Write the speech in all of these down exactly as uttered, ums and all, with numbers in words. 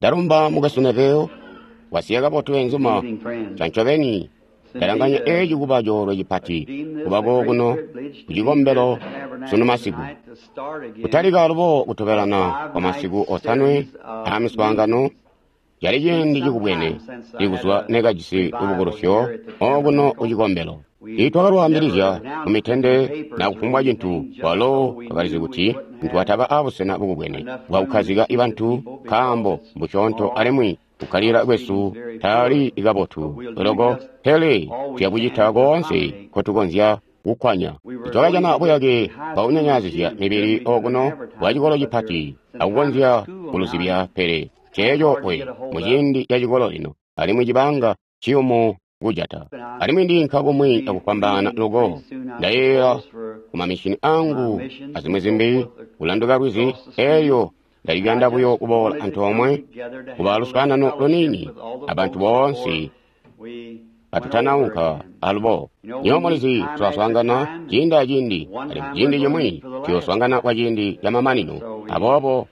Ndalumba mukwesu Neville, wasiya kabotu benzuma cancobeni. Ndalanganya eci kuba coolwe cipati kuba kokuno kucikombelo sunu masiku. Kutalika alubo kutobelana kwa masiku osanwe aamiswaangano cali ciindi cikubwene ikuzwa nekajisi lubukulusyo okuno kucikombelo. Itwakalwaambilizya mumitende na kufumbwa cintu, walo twakalizi kuti ntwataba abusena bukubwene bwakukkazika bantu nkaambo mbusyoonto alimwi kukkalila kwesu taali kabotu loko, pele tuyakucita koonse nkotukonzya kukkwanya. Twakajana buyake bwakunyanyaazizya mibili okuno bwa cikolo cipati akukonzya kuluzibya, pele nceeco we muciindi ca cikolo lino, alimwi cibanga ciyumu kujata. Alimwi ndiinka kumwi akufwambaana loko, ndayeeya kumamishini angu azimwi zimbi kulanduka lwizi, elyo ndalikuyanda buyo kuboola antoomwe kuba luswaanano luniini abantu boonse katutanaunka alubo. Nywebo mulizi tulaswaangana ciindi aciindi, alimwi ciindi cimwi tuyooswaangana kwa ciindi camamanino. Aboobo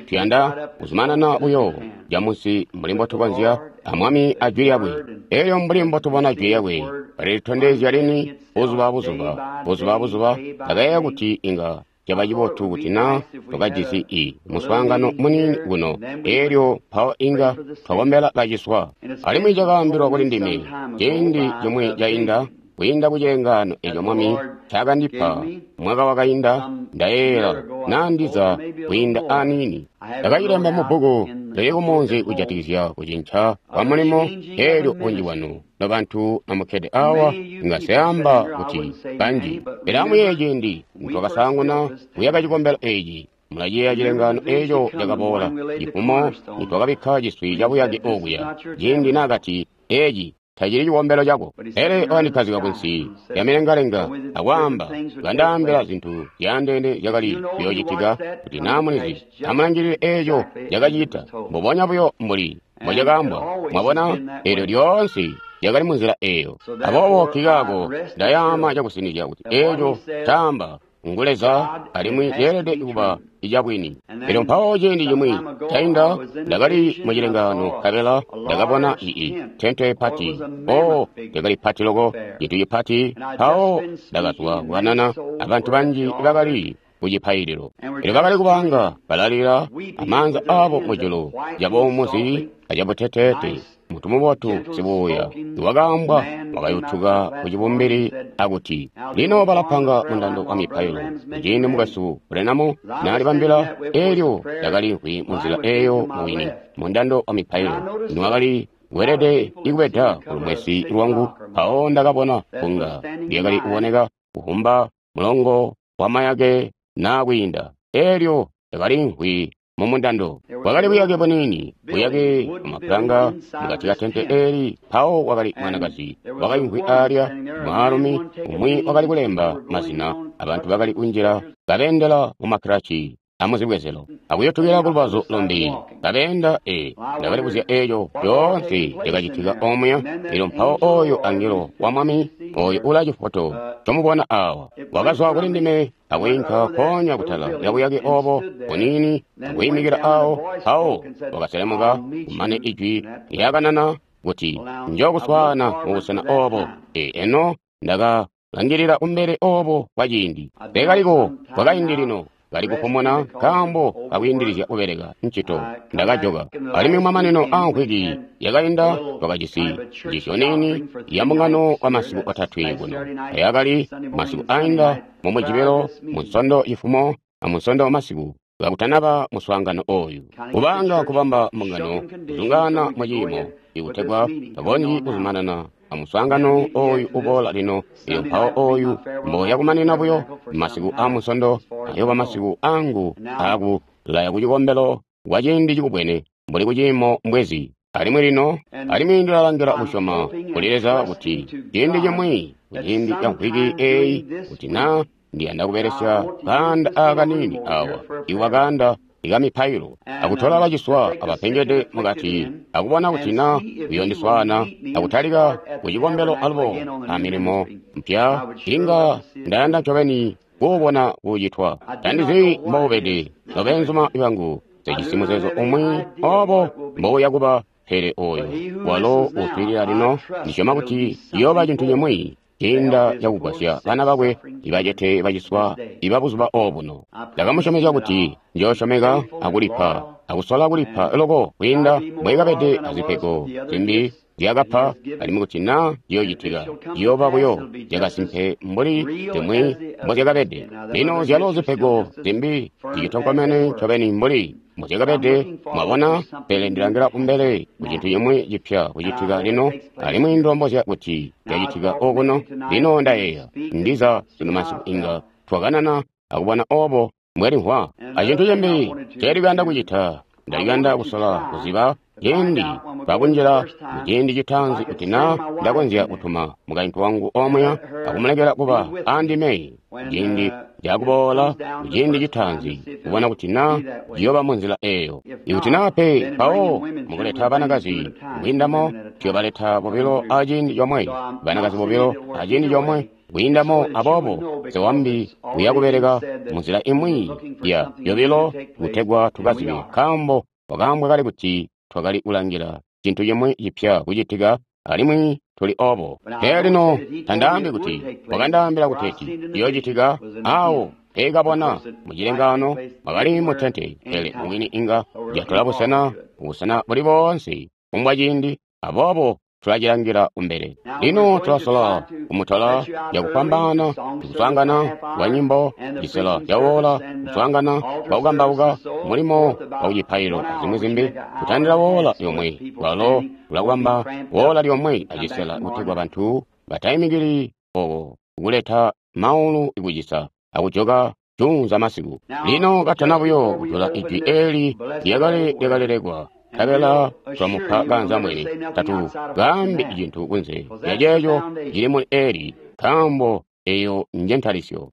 tuyanda kuzumanana buyo camunsi mbuli mbotukonzya a Mwami a Jwi lyakwe. Elyo mbuli mbotubona Jwi lyakwe kalilitondezya lini buzuba abuzuba, buzuba abuzuba, ndakayeeya kuti inga caba cibotu kuti naa twakajisi i muswaangano muniini kuno, elyo mpawo inga twakombela baciswa. Alimwi cakaambilwa kuli ndime ciindi cimwi cainda, kwiinda kucilengaano eco Mwami ncakandipa mwaka wakainda, ndayeeyela naa ndiza kwiinda aniini. Ndakacilemba mubbuku lili kumunzi kujatikizya kucinca kwa mulimo, elyo bunji bwanu nobantu nomukkede awa inga syaamba kuti banji. Pele amuyeeye ciindi nitwakasaanguna kuyaka cikombelo eci, mulayeeya cilengaano eco cakaboola cifumo nitwakabikka ciswi cabuyake okuya, ciindi naakati eci tacili cikombelo cako. Pele wakandikkazika kunsi lya milengalenga akwaamba, kandaambila zintu zyaandeene zyakali kuyoocitika kuti naa mulizi. Amulangilile eeco cakacita, mbubonya buyo mbuli mbocakaambwa. Mwabona, eelyo lyoonse lyakali munzila eeyo. Aboobo nkikaako ndayaama cakusinizya kuti eeco caamba ngu Leza alimwi ceelede kuba icabwini. Elyo mpawo ciindi cimwi cainda ndakali mucilengaano nkabela ndakabona ii tente pati. O, lyakali pati loko, cintu cipati. Mpawo ndakazwa kukanana abantu banji bakali kucipaililo. Elyo bakali kubanga balalila amaanza aabo mujulu cabuumuzi acabuteteete. Muntu mubotu sibuuya iwakaambwa wakayutuka kucibumbili akuti, lino balapanga mundando wa mipailo. Kuciindi mukwesu Branham naalibambila, elyo ndakaliimvwi munzila eeyo mubwini mundando wa mipailo niwakali weelede ikubeda kulumwesi lwangu. Mpawo ndakabona bbunga lyakali kuboneka kuvumba mulongo wamayake naa kwiinda, elyo ndakaliimvwi mumundando. Kwakali buyake buniini, buyake bwamapulanga mukati ka tente eeli. Mpawo kwakali mwanakazi wakaimvwi aalya, mwaalumi umwi wakali kulemba mazina abantu bakali kunjila kabeendela mumakkiraci amuzibwezelo akuyotukila kulubazu lumbi kabeenda. E ndakali kuzya eeco lyoonse lyakacitika omuya. Elyo mpawo oyo angelo wa Mwami oyo ula cifoto comubona awa wakazwa kuli ndime akwiinka nkoonya kutala lyabuyake obo buniini akwiimikila awo. Mpawo wakaselemuka kumane ijwi lyakanana kuti, njokuswaana mubusena obo. E eno ndakalangilila kumbele obo kwa ciindi. Pekaliko kwakaindi lino kali kupumuna nkaambo kakwiindilizya kubeleka ncito. Ndakajoka alimwi mamanino aamvwiki yakainda twakajisi njiisyo niini ya mbungano kwa masiku otatwe kuno. Ayakali masiku ainda mu Mujibelo, Munsondo cifumo, amunsondo masiku kakutanaba muswaangano oyu. Kubanga kubamba mbungano kuzungaana muciimo ikutegwa bakonzyi kuzumanana amuswaangano oyu uboola lino. Elyo mpawo oyu mboya kumanina buyo masiku aamunsondo ayoba masiku angu aakulaya kucikombelo kwa ciindi cikubwene mbuli kuciimo mbwezi. Alimwi lino, alimwi ndilalangila kusyoma kuli Leza kuti ciindi cimwi kuciindi ca mvwiki eeyi kuti naa ndiyanda kubelesya kaanda aakaniini awa iwa kaanda ikamipailo akutola baciswa abapengede mukati akubona kuti naa uyondiswaana akutalika kucikombelo alubo amilimo mpya. Inga ndayanda ncobeni kuubona kucitwa. Tandizi mbobubede nobeenzuma bangu. Sejisi muzeezo umwi obo mbokuya kuba, pele oyo walo uswiilila lino, ndisyoma kuti ciyooba cintu cimwi ciinda cakugwasya bana bakwe ibacete baciswa iba buzuba obuno. Ndakamusyomezya kuti njoosyomeka akulipa akusola kulipa loko kwiinda mbwekabede azipego zimbi zyakapa, alimwi kuti naa ciyoocitika ciyooba buyo zyakasimpe mbuli zimwi mbozyakabede. Lino zyalo zipego zimbi zicitonkomene ncobeni mbuli mbozyakabede, mwabona, pele ndilangila kumbele kucintu cimwi cipya kucitika lino, alimwi ndilombozya kuti cacitika okuno. Lino ndayeeya ndiza sunu masiku inga twakanana akubona obo mbwelimvwa. Acintu cimbi ncelikuyanda kucita, ndalikuyanda kusola kuziba ciindi twakunjila muciindi citaanzi kuti naa ndakonzya kutuma mukaintu wangu omuya akumulekela kuba andime ciindi cakuboola kuciindi citaanzi, kubona kuti naa ciyooba munzila eeyo. Ikuti naa pe, mpawo mukuleta banakazi kwiindamo, tuyobaleta bobilo aciindi comwe, banakazi bobilo aciindi comwe kwiindamo. Aboobo sewambi uya kubeleka munzila imwi ya yobilo kutegwa tukazibe, nkaambo wakaambwa kale kuti twakali kulangila cintu cimwi cipya kucitika, alimwi tuli obo. Pele lino tandaambi kuti wakandaambila kuteeti ciyoocitika awo peekabona mucilengaano mwakali mutente, pele mubwini inga jatola busena busena buli boonse kumbwa ciindi, aboobo tulacilangila kumbele. Lino tulasola kumutola cakufwambaana kuswaangana kwa nyimbo, cisela cawoola, kuswaangana kwa kukambauka, mulimo wa kucipaililo azimwi zimbi, kutandila woola lyomwe, kwalo tulakubamba woola lyomwe acisela kutegwa bantu bataimikili oko kuleta maulu ikucisa akujoka juunza masiku. Lino katana buyo kujola ijwi eli lyakale lyakalelekwa, nkabela twamupa kanza mwene, tatu kaambi cintu kunze lyaceeco cili muli eli, nkaambo eyo njentalisyo.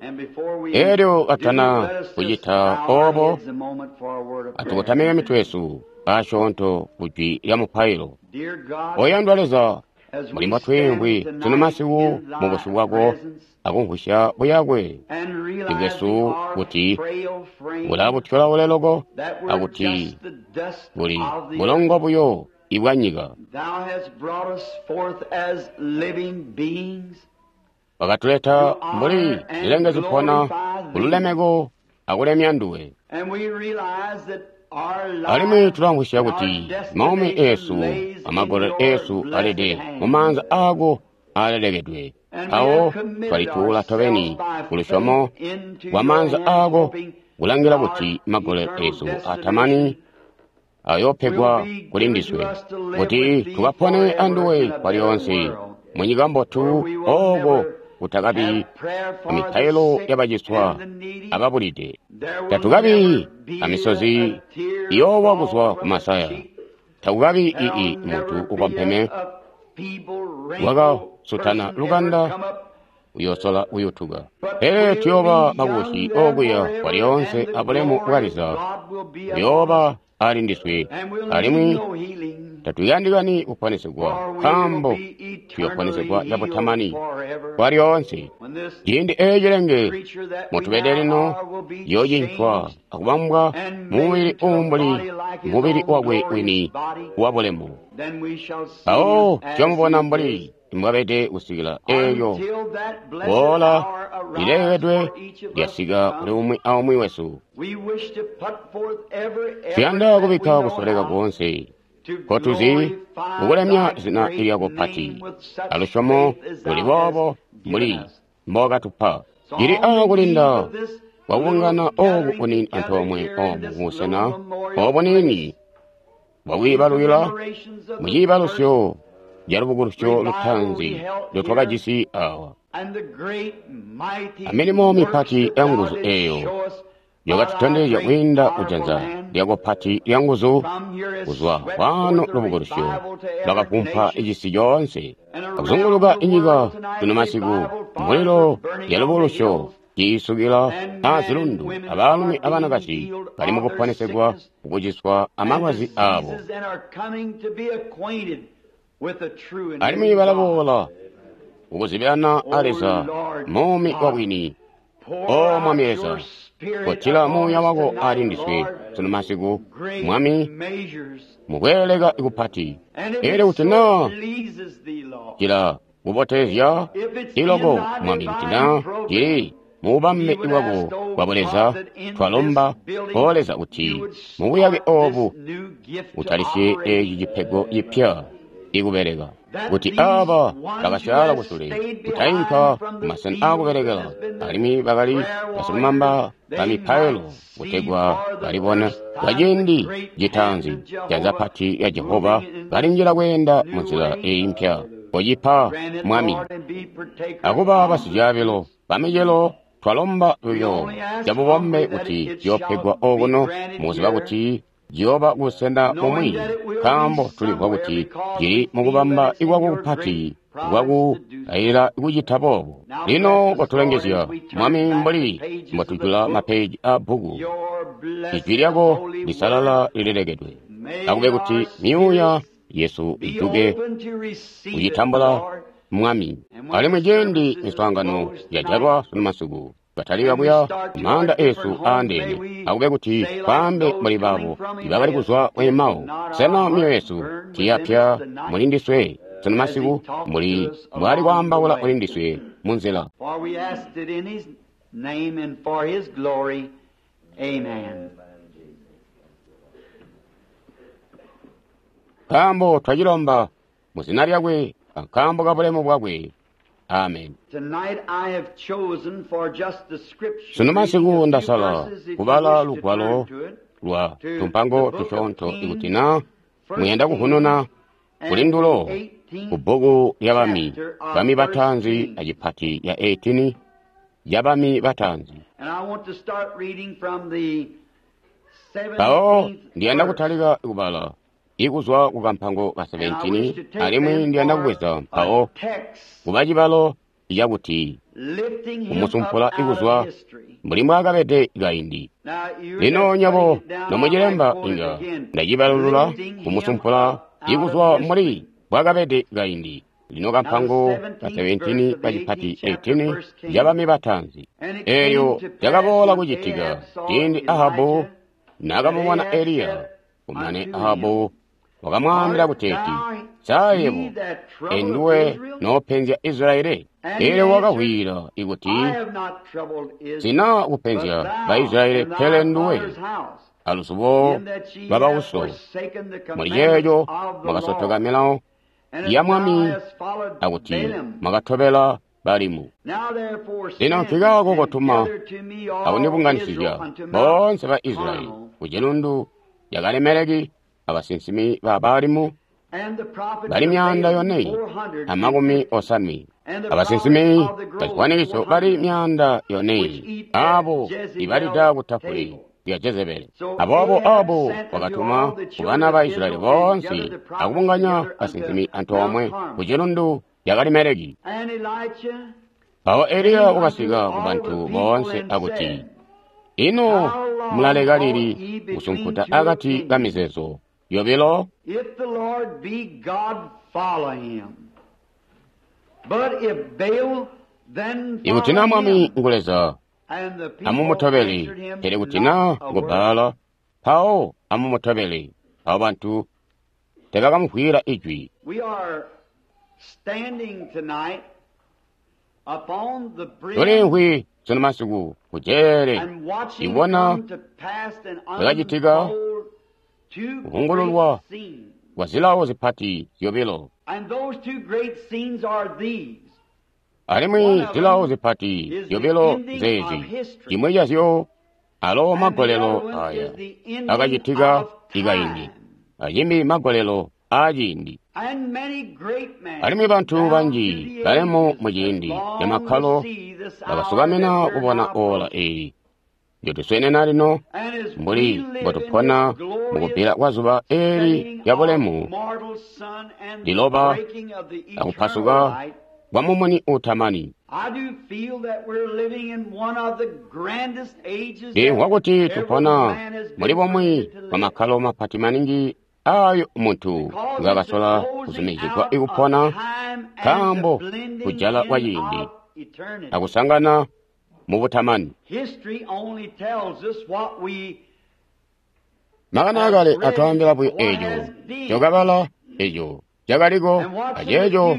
Elyo katana kucita obo, atukotamike mitwe yesu asyoonto kujwi lya mupailo. Oyandwa Leza, muli mbotwiimvwi sunu masiku mu busyu bwako akumvwisya buyakwe ibwesu kuti bulabutyolaule loko akuti buli bulongo buyo ibwa nyika. Wakatuleta mbuli zilenge zipona kululemeko akulemya nduwe. Alimwi tulamvwisya kuti maumi eesu amagolelo eesu alede mumaanza aako aalelekedwe. Awo twalituula tobeni kulusyomo lwa maanza aako kulangila kuti magolelo eesu atamani ayoopegwa kuli ndiswe, kuti tukapone anduwe kwalyoonse munyika mbotu ooko kutakabi amipailo yabaciswa ababulide. Tatukabi amisozi iyoowa kuzwa kumasaya, takukabi ii muntu ukompeme wakasutana lukanda uyosola kuyutuka. Pele tuyooba bakubusi okuya kwalyoonse abulemu bwa Leza buyooba ali ndiswe, alimwi tatuyandikani kuponesegwa, nkaambo tuyoponesegwa cabutamani kwalyoonse. Ciindi eeci cilenge mutubede lino ciyoocincwa akubambwa mumubili uumbuli mubili wakwe wini wabulemu. Mpawo tuyomubona mbuli mbwabede kusikila eelyo woola lilekedwe lyasika kuli umwi aumwi wesu. Tuyanda kubikka kusoleka koonse nkotuzi kukulemya zina lyako pati alusyomo luli boobo mbuli mbookatupa. Cili aakulinda kwakubungana ooku kuniini antoomwe oomu mubusena obuniini bwakwiibalwila muciibalusyo calubukulusyo lutaanzi ndotwakajisi awa, amilimo mipati yanguzu eeyo yokatutondezya kwiinda kujanza lyako pati lyanguzu kuzwa kwano lubukulusyo lwakafumpa cisi coonse akuzunguluka inyika sunu masiku. Mulilo yalubukulusyo ciisukila azilundu, abaalumi abanakazi bali mukuponesegwa kukuciswa amalwazi aabo, alimwi balaboola kukuzibirana a Leza muumi wabwini. O Mwami Leza, Kotila Muuya wako ali ndiswe sunu masiku, Mwami, mukweeleka kupati. Elyo kuti naa cila kubotezya iloko, Mwami, kuti naa cili mububambe bwako bwa Buleza, twalomba, O Leza, kuti mubuyake obu utalisye eci cipego cipya ikubeleka, kuti aba bakasyaala kusule kutainka kumasena aakubelekela, alimwi bakali basilumamba ba mipailo kutegwa balibone kwaciindi citaanzi janza pati ya Jehova balinjila kweenda munzila eyi mpya. Kocipa, Mwami, akuba basizyaabilo bamicelo. Twalomba buyo cabubombe kuti ciyopegwa okuno, mukuziba kuti ciyooba kubusena bumwi, nkaambo tulimvwa kuti cili mukubamba ikwako kupati kwakulailila kucita boobo. Lino kotulengezya, Mwami, mbuli mbotujula mapeji a bbuku, ijwi lyako lisalala lilelekedwe. Akube kuti myuuya yesu ijuke kucitambula, Mwami. Alimwi ciindi miswaangano yajalwa sunu masiku, batalika kuya maanda esu aandeene, akube kuti twaambe mbuli baabo ibakali kuzwa ku Emau, sena myoyo yesu tiyapya muli ndiswe sunu masiku mbuli mbwali kwaambaula kuli ndiswe munzila. Nkaambo twacilomba mu zina lyakwe, nkaambo ka bulemu bwakwe. Amen. Sunu masiku ndasala kubala lugwalo lwa tumpango tusyoonto, ikuti na muyanda kuvununa kuli ndulo ku bbuku lya Bami, Bami Bataanzi, acipati ya eighteen ya Bami Bataanzi. Mpawo ndiyanda kutalika kubala ikuzwa ku kampango ka seventeen, alimwi ndiyanda kubweza mpawo kuba cibalo cakuti kumusumpula ikuzwa mbuli mbwaakabede kaindi. Lino nyabo nomucilemba inga ndacibalulula kumusumpula ikuzwa mbuli mbwaakabede kaindi. Lino kampango ka seventeen kacipati eighteen ca Bami Bataanzi. Eelyo cakaboola kucitika ciindi Ahabu naakamubona Eliya. Kumane Ahabu wakamwaambila kuteeti, Sa yebo enduwe noopenzya Israeli? Elyo wakavwiila ikuti, Sina kupenzya Baisraeli, pele nduwe aluzubo lwa bauso. Muli ceeco mwakasotoka milawo ya Mwami akuti mwakatobela Balimu. Lino nkikaako kotuma akundibunganisizya boonse ba Israeli ku cilundu ca Kalimeleki abasinsimi ba Baalimu bali myaanda yone amakumi osanwe, abasinsimi bazifwanikiso bali myaanda yone, abo ibalida ku tafule lya Jezebeli. Aboobo Ahabu wakatuma ku bana ba Israeli boonse akubunganya basinsimi antoomwe ku cilundu ca Kalimeleki. Mpawo Eliya wakasika ku bantu boonse akuti, Ino mulaleka lili kusunkuta akati ka mizeezo yobilo? If the Lord be God, follow him. But if Baal, then Ikuti na follow Mwami him. ngu Leza, And the people amumutobele, answered him pele kuti na not a ngu word. Baala, mpawo amumutobele. Mpawo bantu tebakamuvwiila ijwi. We are standing tonight upon the bridge Tuliimvwi sunu masiku kujere and watching ibona come to pass and bwakacitika unfold two kuhungululwa great scenes. kwa zilawo zipati zyobilo. And those two great scenes are these. Alimwi zilawo zipati zyobilo zeezi, cimwi cazyo alo And the magolelo other one aya is the ending akacitika of ikaindi, time. acimbi magolelo aaciindi. And many great men Alimwi bantu down banji through the balemu ages mu ciindi have longed camakkalo to see this hour bakasukamina that we're kubona now ola approaching. eyi njotuswenena lino, And as we mbuli live in mbotupona this glorious mukubbila kwa zuba eli setting lya of bulemu mortal sun and the liloba breaking of the eternal akupasuka light, kwa mumuni utamani. I do feel that we're living in one of the grandest ages that Ndimvwa kuti ever tupona man has muli been bomwe permitted to bwa live. makkalo mapati maningi ayo munthu Because it's the ngakasola closing kuzumizigwa out of ikupona, time and the nkaambo blending kujala kwa in ciindi of eternity. akusangana mu Butamani. Makani aakale atwaambila buyo eco cokabala, eco cakaliko, aceeco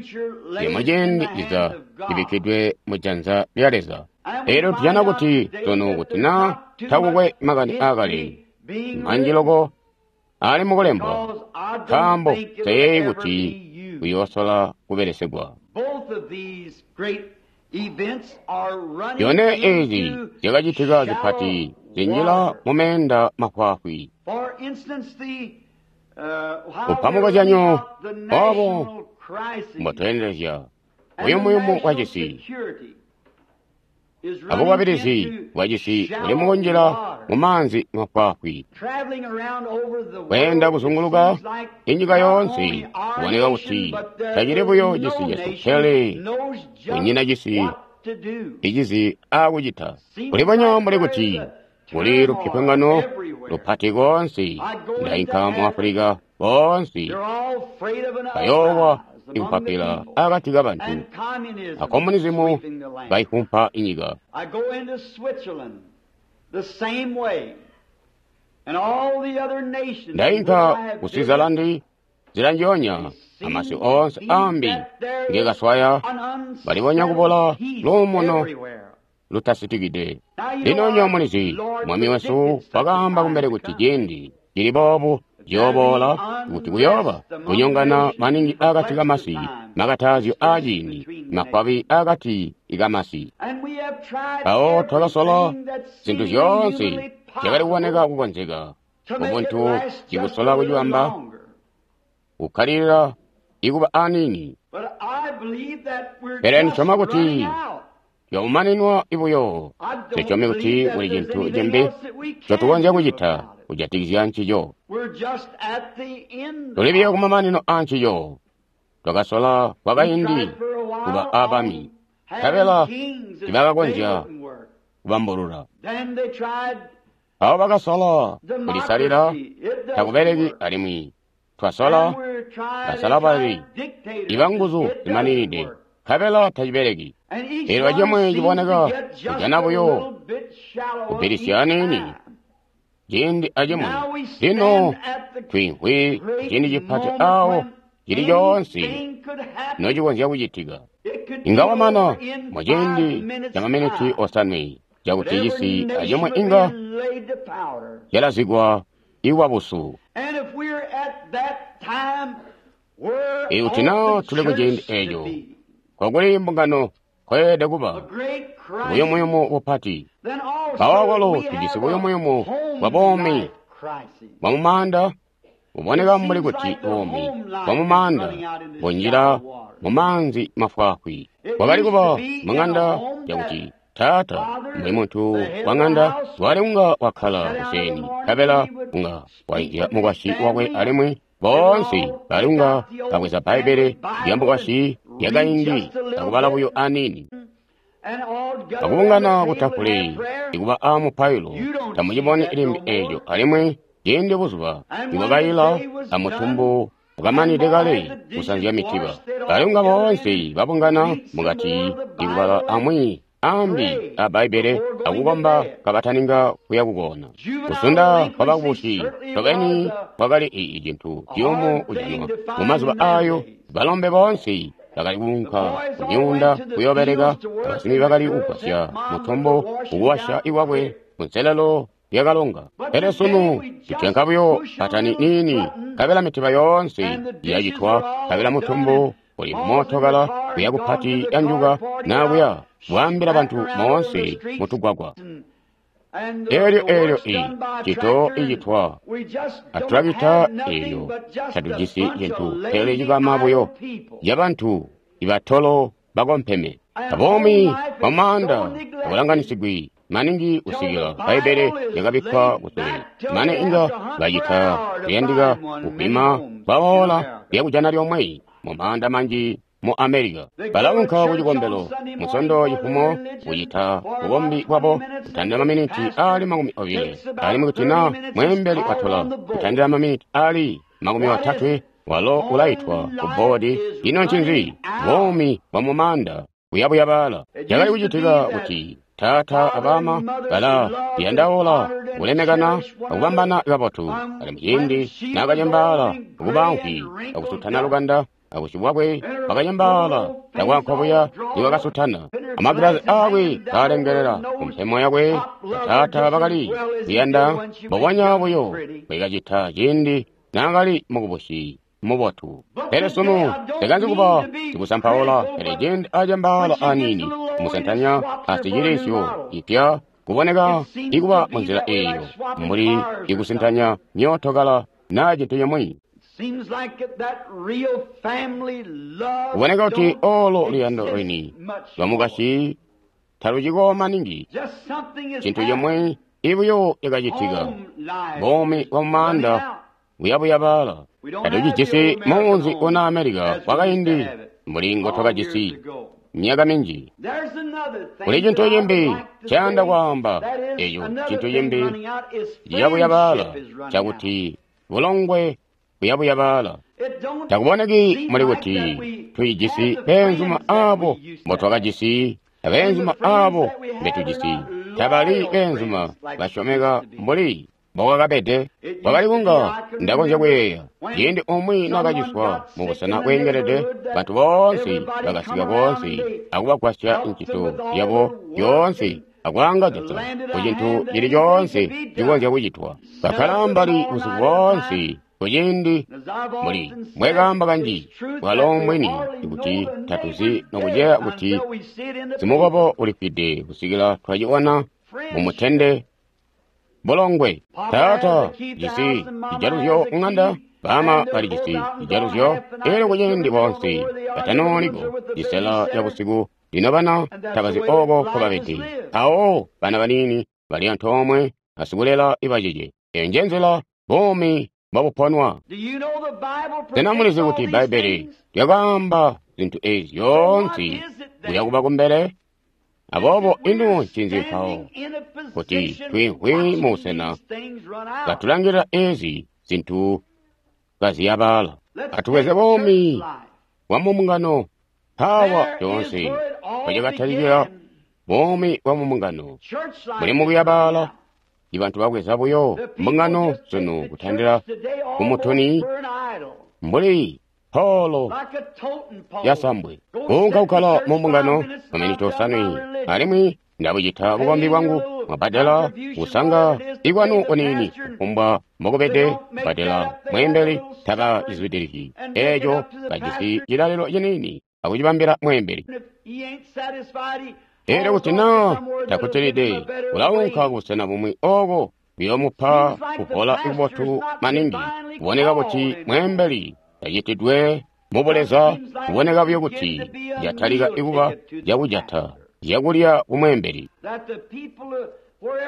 cili muciindi ciza cibikkidwe mu janza lya Leza. Elyo tujana kuti sunu kuti naa takukwe makani aakale manji loko ali mukulembwa, nkaambo tayeeyi kuti kuyoosola kubelesegwa. Yone eezi zyakacitika zipati zinjila mumeenda mafwaafwi. Kupa mukozyanyo oobo mbotweendelezya buyumuyumu bwacisi abukwabilizi bwacisi buli mukunjila mumaanzi mafwaafwi. Kweenda kuzunguluka inyika yoonse kuboneka kuti tacili buyo cisi cesu, pele kunyina cisi icizi aakucita. Kulibonya mbuli kuti kuli lupyopyongano lupati koonse. Ndainka mu Afulika, boonse bayoowa ikupapila akati kabantu, a komunizimu baifumpa inyika. Ndainka ku Switzerland nzila njionya, amasi oonse ambi ngekaswaya balibonya kubola luumuno lutasitikide. Lino nyo mulizi, Mwami wesu wakaamba kumbele kuti ciindi cili boobu ciyooboola, kuti kuyooba kunyongana maningi akati kamasi, makatazyo aaciindi, mafwabi akati kamasi. Mpawo twakasola zintu zyoonse zyakali kuboneka kukonzeka ubuntu cikusola kucibamba kukkalilila ikuba aniini. Pele ndisyoma kuti twabumaninwa buyo. Nsisyomi kuti kuli cintu cimbi ncotukonzya kucita kujatikizya ncico. Tuli buyo kumamanino aancico. Twakasola kwakaindi kuba aabami, nkabela tibakakonzya kubambulula. Abo bakasola kulisalila takubeleki alimwi twasola basala babili ibanguzu zimaninide, nkabela tacibeleki. Elyo acimwi ciboneka kujana buyo kubilisya aniini ciindi acimwi. Lino twiimvwi ciindi cipati awo cili coonse nocikonzya kucitika. Inga wamana muciindi ca maminiti osanwe cakuti cisi acimwi inga calazigwa iwa busu. Ikuti naa tuli kuciindi eeco, kokuli mbungano kweelede kuba buyumuyumu bupati. Mpawo kwalo tujisi buyumuyumu bwa buumi bwa mumaanda buboneka mbuli kuti buumi bwa mumaanda bunjila mumaanzi mafwaafwi. Kwakali kuba mung'anda yakuti taata mbuli muntu wa ng'anda wali kunga wakkala kuseni, nkabela kunga wainzya mukwasyi wakwe, alimwi boonse bali kunga babweza Bbaibbele lya mukwasyi lyakaindi akubala buyo aniini. Akubungana kutafule ikuba aamupailo tamuciboni limbi eeco, alimwi ciindi buzuba nibwakaila amutumbu bwakamanide kale kusanzya mitiba, bali kunga boonse babungana mukati ikubala amwi ambi a Bbaibbele akukomba kabataninga kuya kukona. Kusunda kwabakubusi ncobeni kwakali ii cintu ciyumu kujanwa mumazuba aayo. Balombe boonse bakali kuunka kumyuunda kuyoobeleka, abasimbi bakali kugwasya mutombo kukuwasya iwakwe kunselelo lyakalonga. Pele sunu tutyanka buyo patani niini, nkabela mitiba yoonse ilacitwa, nkabela mutombo uli mumootokala kuya kupati ya njuka naa kuya bwaambila bantu moonse mutugwagwa. Eelyo eelyo i cito icitwa atulakita eelyo tatujisi cintu pele cikama buyo cabantu ibatolo bakompeme. Abuumi bwamumaanda tabulanganisigwi maningi kusikila Bbaibbele lyakabikkwa kusule, mane inga bacita kuyandika kupima kwaola lyakujana lyomwe mumaanda manji mu America. Balaunka kucikombelo musondo cifumo kucita bukombi bwabo kutandila maminiti ali makumi obile, alimwi kuti naa mweembeli watola kutandila maminiti ali makumi otatwe, walo ulaitwa ku boodi. Ino ncinzi? Buumi bwa mumaanda buyabuyabaala. Cakali kucitika kuti Taata abama bala yandaula kulemekana akubambana kabotu. Alimwi ciindi naakacembaala kuba mvwi akusutana lukanda abusyu bwakwe bwakacembaala takwankobuya nikwakasutana. Amagilazi aakwe kaalengelela kumpemo yakwe. Bataata bakali kuyanda mbubonya buyo bwakacita ciindi naakali mukubusi mubotu. Pele sunu nsikanzi kuba sikusampaula, pele ciindi acembaala aniini kumusantanya asicilisyo cipya kuboneka ikuba munzila eeyo mbuli ikusintanya myootokala naa cintu cimwi. Kuboneka kuti olo luyando lwini lwamukwasyi taluciko maningi. Cintu cimwi ibuyo cakacitika. Buumi bwa mumaanda buyabuyabaala. Tatucijisi muunzi una America wakaindi mbuli ngotwakajisi myaka minji. Kuli cintu cimbi ncayanda kwaamba, eco cintu cimbi ciyabuyabaala cakuti bulongwe buyabuyabaala. Takuboneki muli kuti tuijisi beenzuma aabo mbotwakajisi abeenzuma aabo mbetujisi tabali beenzuma basyomeka mbuli mbokwakabede. Kwakali kunga ndakonzya kuyeeya ciindi umwi naakaciswa mubusena bweengelede, bantu boonse bakasika koonse akubagwasya ncito yabo yoonse akwaanga jata kucintu cili coonse cikonzya kucitwa. Bakkala ambali busiku boonse kuciindi muli mbwekaamba kanji bwalo mbwini kuti tatuzi nokuceya kuti simukobo ulifwide kusikila twacibona mumutende bulongwe. Taata jisi cijaluzyo kuŋanda, baama balijisi cijaluzyo, elyo kuciindi boonse batanooliko cisela cabusiku. Lino bana tabazi ooko nkobabede. Awo bana baniini bali antoomwe asikulela ibacece. Eyo njenzila buumi mbobuponwa. Sena mulizi kuti Bbaibbele lyakaamba zintu eezi zyoonse kuyakuba kumbele? Aboobo ino ncinzi mpawo kuti twiimvwi mubusena katulangilila eezi zintu kaziyabaala? Atubweze buumi bwa mumbungano mpaawa lyoonse mpocakatalikila buumi bwa mumbungano. Muli mukuyabaala, ibantu babweza buyo mbungano sunu kutandila kumutuni mbuli polo yasambwe. Kuunka kukkala mumbungano maminiti osanwe, alimwi ndabucita bukombi bwangu. Mwabbadela kusanga ikwanu kuniini kufumbwa mbokubede, kubbadela mweembeli taba cizwidiliki eeco kajisi cilalilo ciniini akucibambila mweembeli. Eelyo kuti naa takkutilide, ulaunka kubusena bumwi ooko buyoomupa kuvola kubotu maningi. Kuboneka kuti mweembeli tacitidwe mubuleza, kuboneka buyo kuti yatalika ikuba yakujata zyakulya kumweembeli.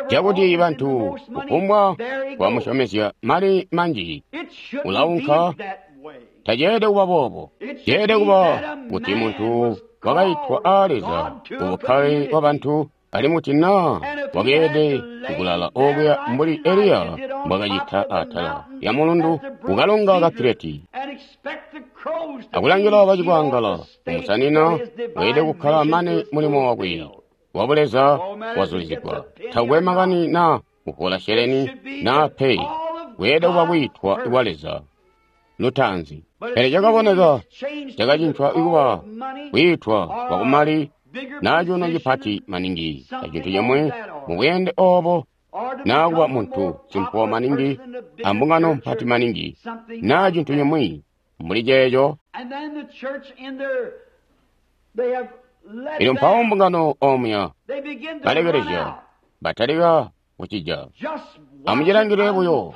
Cakuti bantu kufumbwa kwamusyomezya mali manji ulaunka. Taceelede kuba boobo. Ceelede kuba kuti muntu wakaitwa aa Leza kubukkale bwabantu, alimwi kuti naa wakeelede kukulala okuya mbuli Eliya mbwakacita atala ya mulundu kukalonga ka Kireti akulangila bacikwaangala kumusanina, weelede kukkala mane mulimo wakwe wabuleza wazulizigwa. Takwe makani naa kuvola sheleni naa pe, weelede kuba kwiitwa kwa Leza lutaanzi. Pele cakaboneka cakacincwa kuba kwiitwa kwakumali naa cuuno cipati maningi acintu cimwi mubweende oobo, naa kuba muntu simpuwo maningi ambungano mpati maningi naa cintu cimwi mbuli ceeco. Elyo mpawo mbungano omuya balekelezya batalika kucija. Amucilangile buyo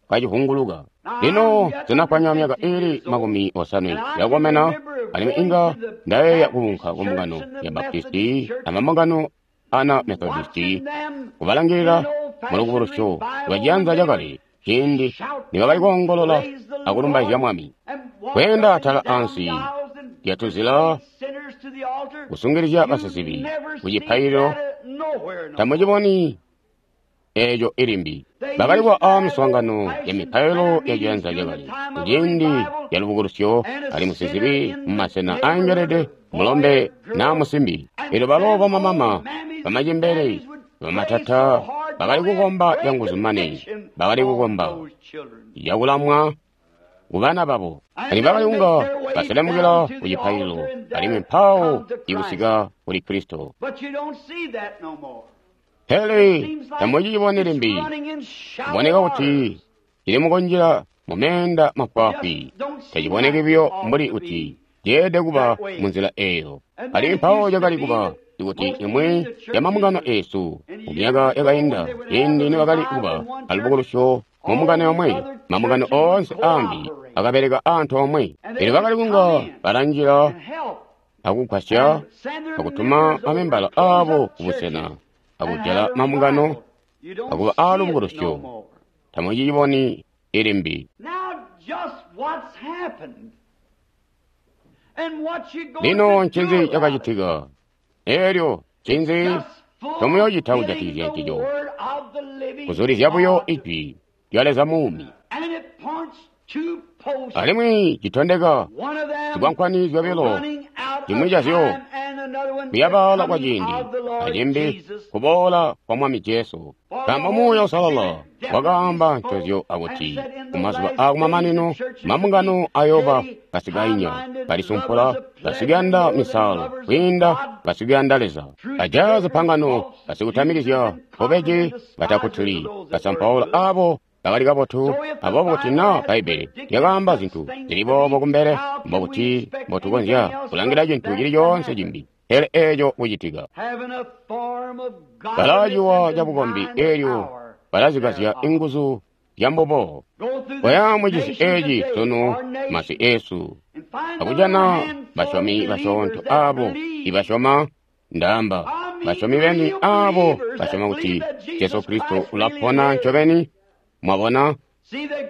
kacivunguluka. Lino zinakkwanya myaka iili makumi osanwe yakukomena, alimwi inga ndayeeya kuunka kumbungano ya Baptisti amambungano ana Methodisti kubalangilila mulukubulusyo lwa ciyanza cakale ciindi nibakali koongolola akulumbaizya Mwami. Kweenda atala ansi lyatuzila kusungilizya basizibi kucipaililo, tamuciboni eeco ilimbi. Bakali kuba aamiswaangano ya mipailo ya ciyanza cakale kuciindi ca lubukulusyo, alimwi sizibi mumasena aangelede mulombe naa musimbi. Elyo balo bamamama Bamacimbele, bamatata bakali kukomba canguzu mane bakali kukomba cakulamwa kubana babo, alimwi bakali kunga baselemukila ku cipaililo, alimwi mpawo ikusika kuli Kristo. Pele tamuciciboni limbi, kuboneka kuti cili mukunjila mumeenda mafwaafwi, taciboneki buyo mbuli kuti ceelede kuba munzila eeyo. Alimwi mpawo cakali kuba ikuti imwi ya mambungano eesu mumyaka yakainda, ciindi nibakali kuba alubukulusyo mumbungano yomwe, mambungano oonse aambi akabeleka antoomwe. Elyo bakali kunga balanjila akugwasya akutuma mamembala aabo kubusena akujala mambungano akuba aalubukulusyo. Tamuciciboni ilimbi. Lino ncinzi cakacitika? Elyo ncinzi ncomuyoocita kujatikizya ncico? Kuzulizya buyo ijwi lya Leza muumi. Alimwi citondeka zikwankwani zyobilo, cimwi cazyo kuyabaala kwa ciindi, acimbi kuboola kwa Mwami Jesu. Nkaambo Muuya Uusalala wakaamba ncozyo akuti kumazuba aakumamanino mambungano ayooba basikainya, balisumpula, basikuyanda misaalo kwiinda basikuyanda Leza, bajaya zipangano, basikutamikizya bubeji, batakutuli, basampaula aabo bakali kabotu. Aboobo kuti naa Bbaibbele lyakaamba zintu zili boobo kumbele, mbokuti mbotukonzya kulangila cintu cili coonse cimbi pele eeco kucitika. Balaaciwa cabukombi eelyo balazikazya inguzu zyambubo. Koya mucisi eeci sunu masi eesu akujana basyomi basyoonto aabo ibasyoma, ndaamba basyomi beni aabo basyoma kuti Jesu Kristo ulapona ncobeni. Mwabona,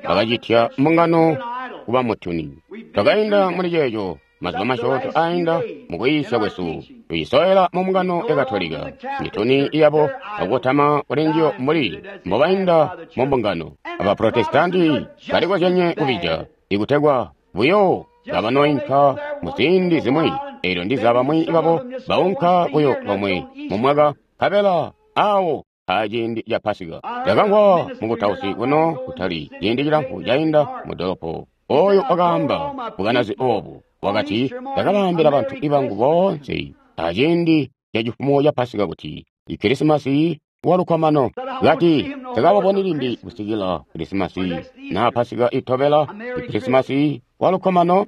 bakacitya mbungano kuba mutuni. Twakainda muli ceeco mazuba masyoonto ainda mukuyiisya kwesu, tuyisoyela mu mbungano ya Katolika mituni yabo akukotama kuli njiyo mbuli mbobainda mu mbungano. Abaprotestanti balikozyenye kubija ikutegwa buyo kabanoinka muziindi zimwi, eelyo ndiza bamwi babo baunka buyo lomwe mu mwaka, nkabela awo aciindi ca Pasika. Ndakamvwa mukutausi kuno kutali ciindi cilamfu cainda mu dolopo oyo wakaamba bukanazi oobu, wakati, ndakabaambila bantu ibangu boonse aciindi ca cifumo ca Pasika kuti Ikirisimasi walukkomano, kati takababoni limbi kusikila Kirisimasi na Pasika itobela. Ikirisimasi walukkomano.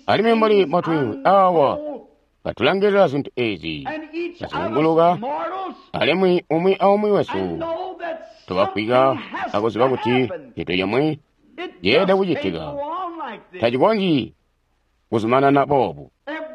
Alimwi mbuli mbotwiimvwi awa katulangilila zintu eezi kazunguluka, alimwi umwi aumwi wesu tubafwika akuziba kuti cintu cimwi ceelede kucitika. Tacikonzyi kuzumanana boobu.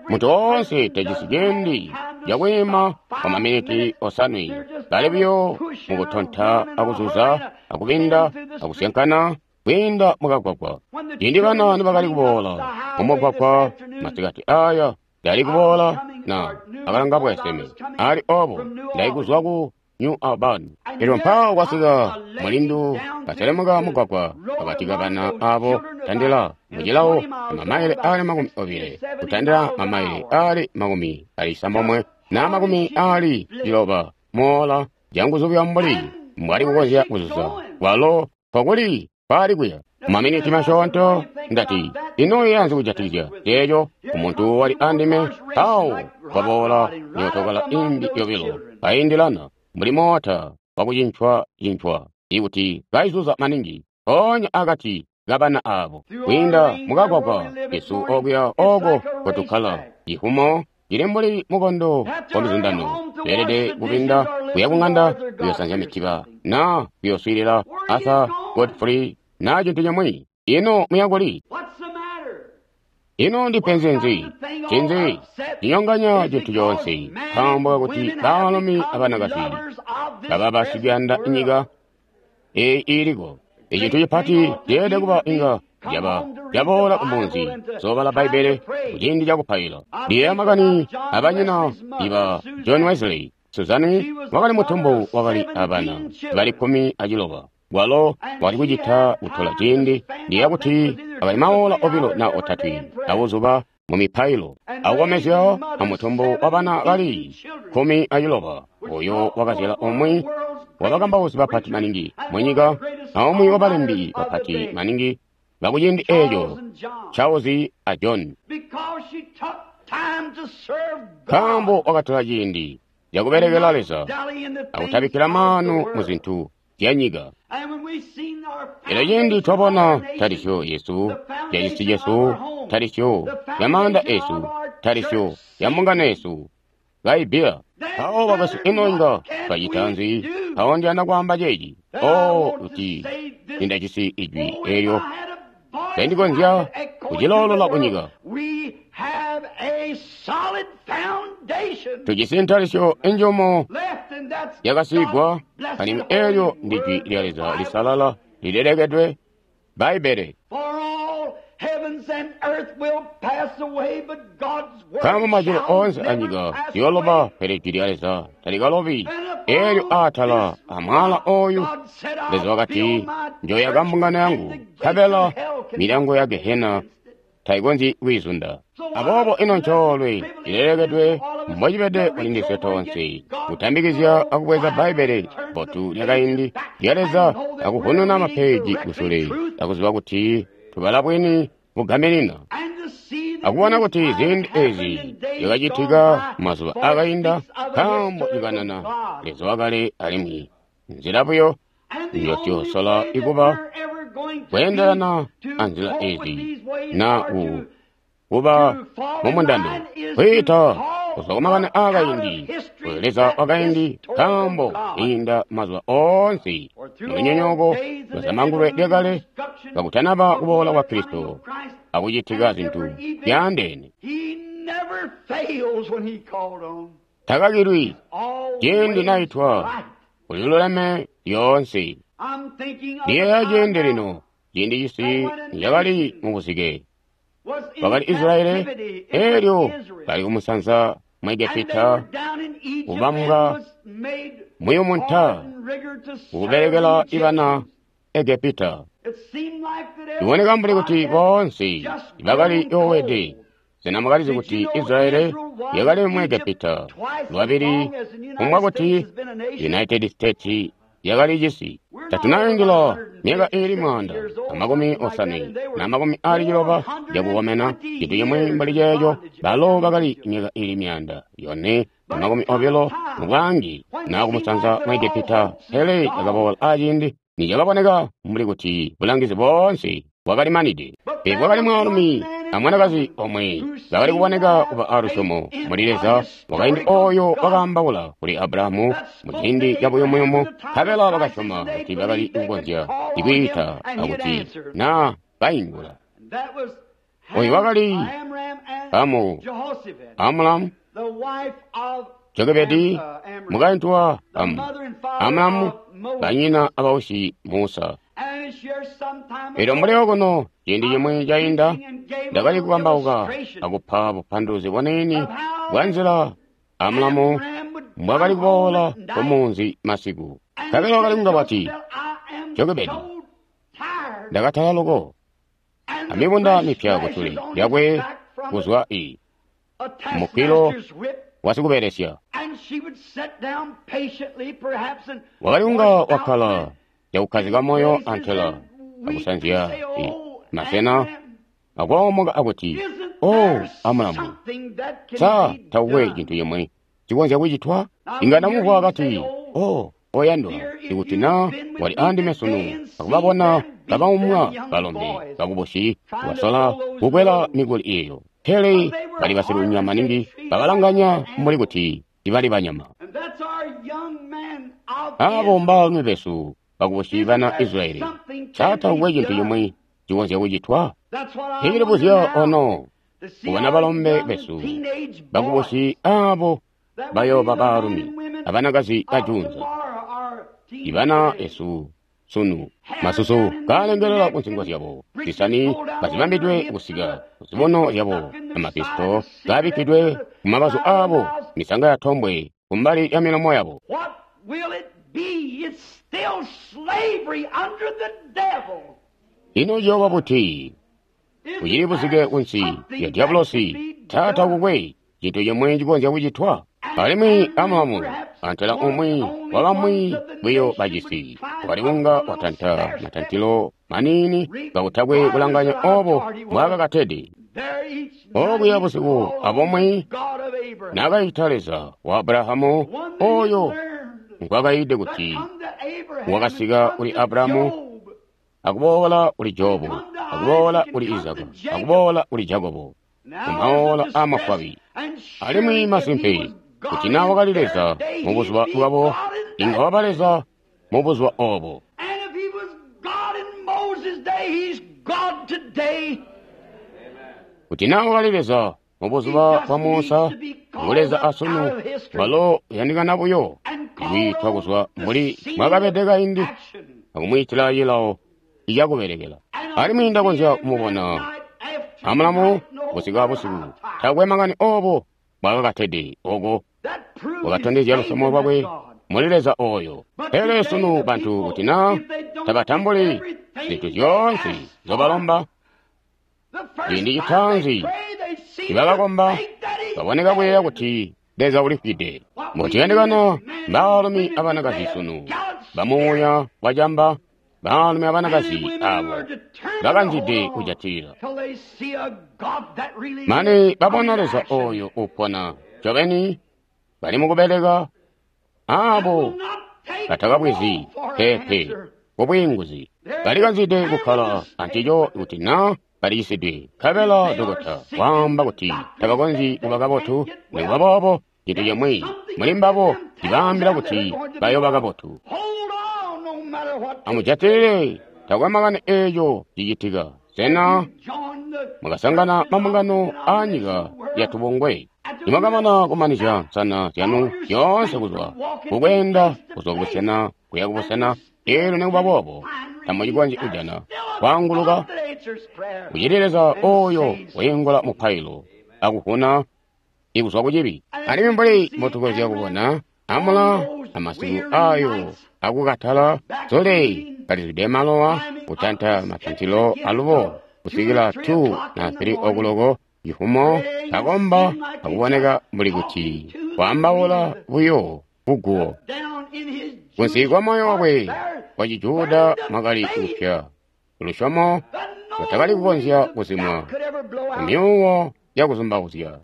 Muntu woonse tajisi ciindi cakwiima kwa maminiti osanwe, bali buyo mukutonta akuzuza akubinda akusyankana kwiinda mukagwagwa. Ciindi bana nibakali kuboola mumugwagwa masikati aya, ndali kuboola na akalanga bweseme ali obo, ndali kuzwa ku New Albany. Elyo mpawo kwasika mulindu kaselemuka mugwagwa pakati ka bana abo kutandila mucilawo mamaile ali makumi obile, kutandila mamaile ali makumi ali sambomwe na makumi ali ciloba moola janguzu buyo mbuli mbwali kukonzya kuzuza kwalo nkokuli kwali kuya. Maminiti masyoonto ndati, ino yanzi kujatikizya ceeco umuntu wali andime? Mpawo kwaboola myootokala imbi yobilo kaindilana mbuli moota wakucincwa-cincwa ikuti kaizuza maningi mpoonya akati kabana aabo kwiinda mukagwagwa kesu okuya oko kotukkala. Cifumo cili mbuli mukondo wa mizundano, tweelede kupinda kuya kuŋanda kuyosanzya mitiba na kuyooswiilila Arthur Godfrey na cintu cimwi. Ino muyakuli? Ino ndipenzi nzi? Ncinzi cinyonganya cintu coonse? Nkaambo kakuti baalumi abanakazi baba basikuyanda nyika eyi iiliko. Icintu cipati ceelede kuba inga yaba yaboola kumunzi zobala Bbaibbele kuciindi cakupaila. Ndiyeeya makani abanyina iba John Wesley. Suzanne wakali mutumbu wakali abana bali kkumi aciloba. Walo wakali kucita kutola ciindi, ndiyeeya kuti akali maola obilo na otatwe abuzuba mu mipailo, akukomezya amutumbu wabana bali kkumi aciloba, oyo wakazyala umwi wabakambausi bapati maningi munyika, aumwi wabalembi bapati maningi bakuciindi eeco, Charles a John. Nkaambo wakatola ciindi cakubelekela Leza akutabikkila maanu mu zintu zyanyika. Elyo ciindi twabona ntalisyo yesu ya cisi cesu, ntalisyo ya maanda esu, ntalisyo ya mbungano yesu kayibbila, mpawo bakwesu, ino inga twacita nzi? Mpawo ndiyanda kwaamba ceeci. O kuti nindajisi ijwi eelyo lendikonzya kuciloolola kunyika. Tujisi ntalisyo njumu yakasiigwa, alimwi eelyo ndi jwi lya Leza lisalala lilelekedwe, Bbaibbele. Nkaambo majulu oonse anyika ziyooloba, pele jwi lya Leza talikalobi. Eelyo aatala amwaala ooyu, Leza wakati, njoyaka mbungano yangu, nkabela milyango ya Gehena tayikonzyi kwiizunda. Aboobo ino ncoolwe cilelekedwe mbocibede kuli ndiswe toonse kutambikizya akubweza Bbaibbele bbotu lyakaindi lya Leza akuvununa mapeeji kusule akuziba kuti tubala bwini bugaminina, akubona kuti ziindi ezi zyakacitika mazuba akainda, nkaambo ikanana Leza wakale alimwi nzila buyo njotuyoosola ikuba kweendelana anzila ezi na ku kuba mumundando kwiita kuzwa kumakani aakaindi oyo Leza wakaindi, nkaambo inda mazuba oonse mulunyonyooko lwazamangulwe lyakale kakutanaba kuboola kwa Kristo akucitika zintu zyaandeene. Takakilwi ciindi naitwa uliluleme lyoonse. Ndiyeeya ciindi lino, ciindi cisi cakali mubuzike bakali Israeli, eelyo bali kumusanza mu Egepita, kubambwa muyumu nta kukubelekela ibana Egepita. Iboneka mbuli kuti boonse bakali yoowede. Sena mwakalizi kuti Israeli yakali mu Egepita lwabili kumwa kuti United States yakali cisi? Tatunayindila myaka iili mwaanda amakumi osanwe na makumi aali ciloba yakukomena, cintu cimwi mbuli ceeco. Balo bakali myaka iili myaanda yone na makumi obilo mubwaangi na kumusanza mwa Egepita, pele yakaboola aciindi nicakaboneka mbuli kuti bulangizi boonse bwakalimanide. Pe bwakali mwaalumi amwanakazi omwe bakali kuboneka kuba alusyomo muli Leza wakaindi oyo wakaambaula kuli Abrahamu muciindi cabuyumuyumu, nkabela bakasyoma kuti bakali kukonzya ikwiita akuti na baingula. Oyu wakali Amu, Amulamu, Jokebedi, mukaintu wa Amu, Amulamu, banyina abausyi Musa. Elyo mbuli okuno ciindi cimwi cainda ndakali kukambauka akupa bupanduluzi buniini bwa nzila Amulamu mbwakali kuboola kumunzi masiku. Nkabela wakali kunga bwati, Jokebedi, ndakatala loko amibunda mipya kusule lyakwe kuzwa i mukwilo wasikubelesya. Wakali kunga wakkala cakukkazika moyo antela akusanzya i masena akoomoka akuti, O Amulamu, sa takukwe cintu cimwi cikonzya kucitwa? Inga ndamumvwa kati, O oyandwa, ikuti na wali andime sunu akubabona kabaumwa balombe bakubusi basola kukwela mikuli eyo, pele bali basilunya maningi babalanganya mbuli kuti tibali banyama. Abo mbaalumi besu bakubusi bana Israeli, sa takukwe cintu cimwi cikonzya kucitwa? Icilibuzya ono kubona balombe besu bakubusi abo bayooba baalumi abanakazi bajunza ibana esu sunu, masusu kalengelela kunsingo zyabo, zisani kazibambidwe kusika kuzibuno zyabo, amapisto kabikkidwe kumabazu abo, misanga ya tombwe kumbali ya milomo yabo. Ino ciyooba buti? Ucili buzike kunsi lya dyabulosi. Taata kukwe cintu cimwe cikonzya kucitwa. Alimwi Amulamu antela umwi wabamwi buyo bacisi wakali kunga watanta matantilo maniini kakutakwe kulanganya obo mbwaakakatede. Okuya busiku abumwi naakayita Leza wa Abulahamu oyo ngwakayide kuti wakasika kuli Abulahamu akuboola kuli Jobu akuboola kuli Izaka akuboola kuli Jakobo kumaola aamafwabi. Alimwi masimpe kuti naa wakali Leza mubuzuba bwabo, inga waba Leza mubuzuba obo. Kuti naa wakali Leza mubuzuba bwa Musa, ngu Leza asunu, walo uyandikana buyo kwiitwa kuzwa mbuli mwakabede kaindi akumwiitila cilawo icakubelekela. Alimwi ndakonzya kumubona Amulamu busiku abusiku, takwe makani obo bwakakatede oko wakatondezya lusyomo lwakwe muli Leza oyo. Pele sunu bantu kuti naa tabatambuli zintu zyoonse nzobalomba, ciindi citaanzi nibakakomba baboneka kuyeeya kuti Leza ulifwide. Mbotuyandikana baalumi abanakazi sunu bamuuya wacamba, baalumi abanakazi abo bakanzide kujatilila mane babona Leza oyo upona ncobeni bali mukubeleka abo batakabwezi pepe kubwiinguzi balikanzide kukkala ancico kuti naa balicisidwe. Nkabela dokota waamba kuti tabakonzyi kuba kabotu, nikuba boobo cintu cimwi muli mbabo cibaambila kuti bayooba kabotu. Amujatilile, takwe makani eeco cicitika. Sena mwakasangana mambungano aanyika yatubungwe? Nimwakamana kumanizya nsana zyanu zyoonse kuzwa kukweenda kuzwa kubusena kuya kubusena, eelyo nikuba boobo tamucikonzyi kujana kwaanguluka. Kucili Leza oyo wiingula mupailo akuvuna ikuzwa kucibi. Alimwi mbuli mbotukonzya kubona Amula amasiku ayo akukatala sole kalizwide malowa kutanta matantilo alubo kusikila two na three okuloko cifumo kakomba akuboneka mbuli kuti waambaula buyo kuguwo. Kunsi kwa moyo wakwe wa Cijuda mwakali kupya lusyomo lwatakali kukonzya kuzimwa kumyuwo yakuzumbauzya.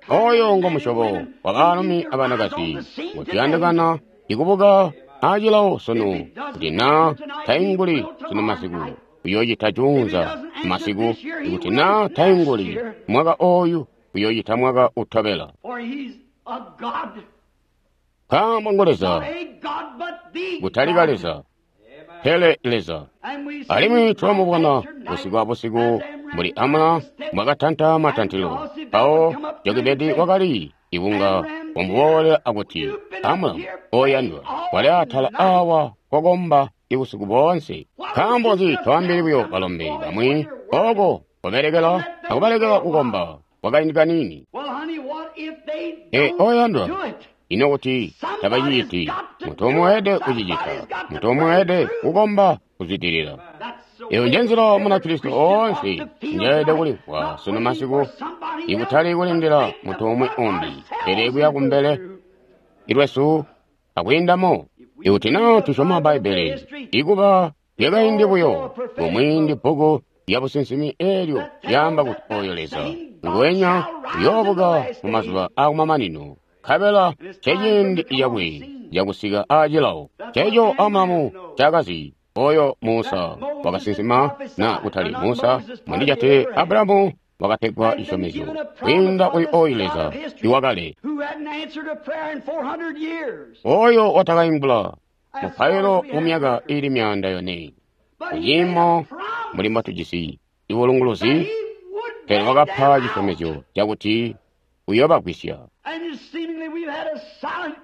Oyo ngo musyobo wa baalumi abanakazi ngotuyandikana ikubuka acilawo sunu kuti naa tainguli sunu masiku uyoocita juunza masiku, kuti naa tainguli mwaka oyu uyoocita mwaka utobela. Nkaambo ngu Leza, kutali ka Leza, pele Leza. Alimwi tulamubona busiku abusiku mbuli Amula mbwakatanta matantilo. Mpawo Jokebedi wakali ikunga wamuboolela akuti, Amulamu oyandwa, wali atala awa kokomba ibusiku boonse. Nkaambo nzi twaambili buyo balombe bamwi oko kubelekela akubalekela kukomba kwakaindi kaniini? E oyandwa, ino kuti tabaciciti, muntu omwe kucicita, muntu omwe kukomba kuzwidilila. Eyo njenzila Munakristo oonse njeelede kulimvwa sunu masiku, ikutali kulindila muntu umwi umbi, pele kuya kumbele ilwesu akwiindamo. Ikuti naa tusyoma Bbaibbele ikuba lyakaindi buyo, bumwi ndi bbuku lya businsimi eelyo lyaamba kuti oyo Leza nguwenya uyoobuka mumazuba aakumamanino, nkabela nceciindi cakwe cakusika aacilawo. Nceeco Amulamu ncaakazi. Oyo Musa wakasinsima na kutali Musa mwandijate Abulahamu wakapegwa cisyomezyo kwiinda kuli oyu Leza iwakale, oyo watakaingula mupailo mu myaka ili myaanda yone kuciimo mbuli mbotujisi ibulunguluzi, pele wakapa cisyomezyo cakuti uyoobagwisya.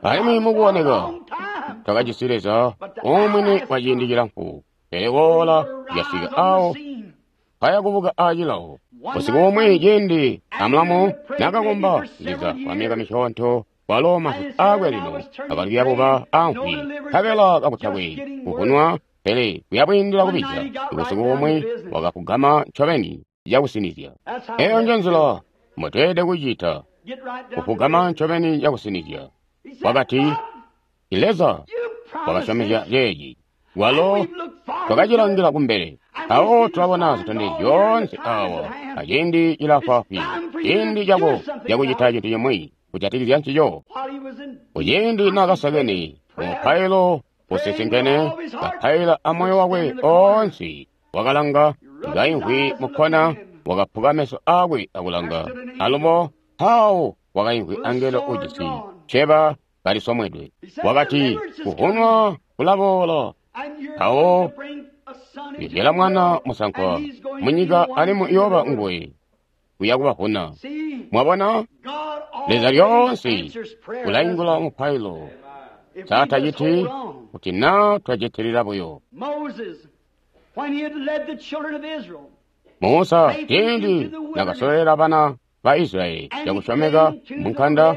Alimwi mukuboneka twakajisi Leza omwini kwa ciindi cilamfu, pele woola lyasika awo payakubuka acilawo. Busiku bumwi ciindi Amulamu naakakomba Leza kwa myaka misyoonto, walo masusu aakwe lino akali kuyabuba amvwi, nkabela kakutakwe kuvunwa, pele kuyabwiindila kubija. Busiku bumwi wakafugama ncobeni. cakusinizya. Eyo nje nzila mbotweelede kucita, kufugama ncobeni cakusinizya. Wakati, Leza wakasyomezya ceeci, walo twakacilangila kumbele. Awo tulabona zitondezyo zyoonse awa, aciindi cilafwaafwi, ciindi cako cakucita cintu cimwi kujatikizya ncico. Kuciindi naakasakene mumupailo usisinkene, kapaila amoyo wakwe oonse, wakalanga kaimvwi mukkona, wakapuka meso aakwe akulanga. Alubo mpawo wakaimvwi angelo ujisi cceba kalisomwedwe. Wakati, kuvunwa kulaboola, mpawo uyozyala mwana musankwa munyika alimwi uyooba nguwe uya kubavuna. Mwabona, Leza lyoonse ulaingula mupailo. Saataciti kuti naa twacitilila buyo. Musa ciindi nakasololera bana ba Israyeli cakusyomeka munkanda,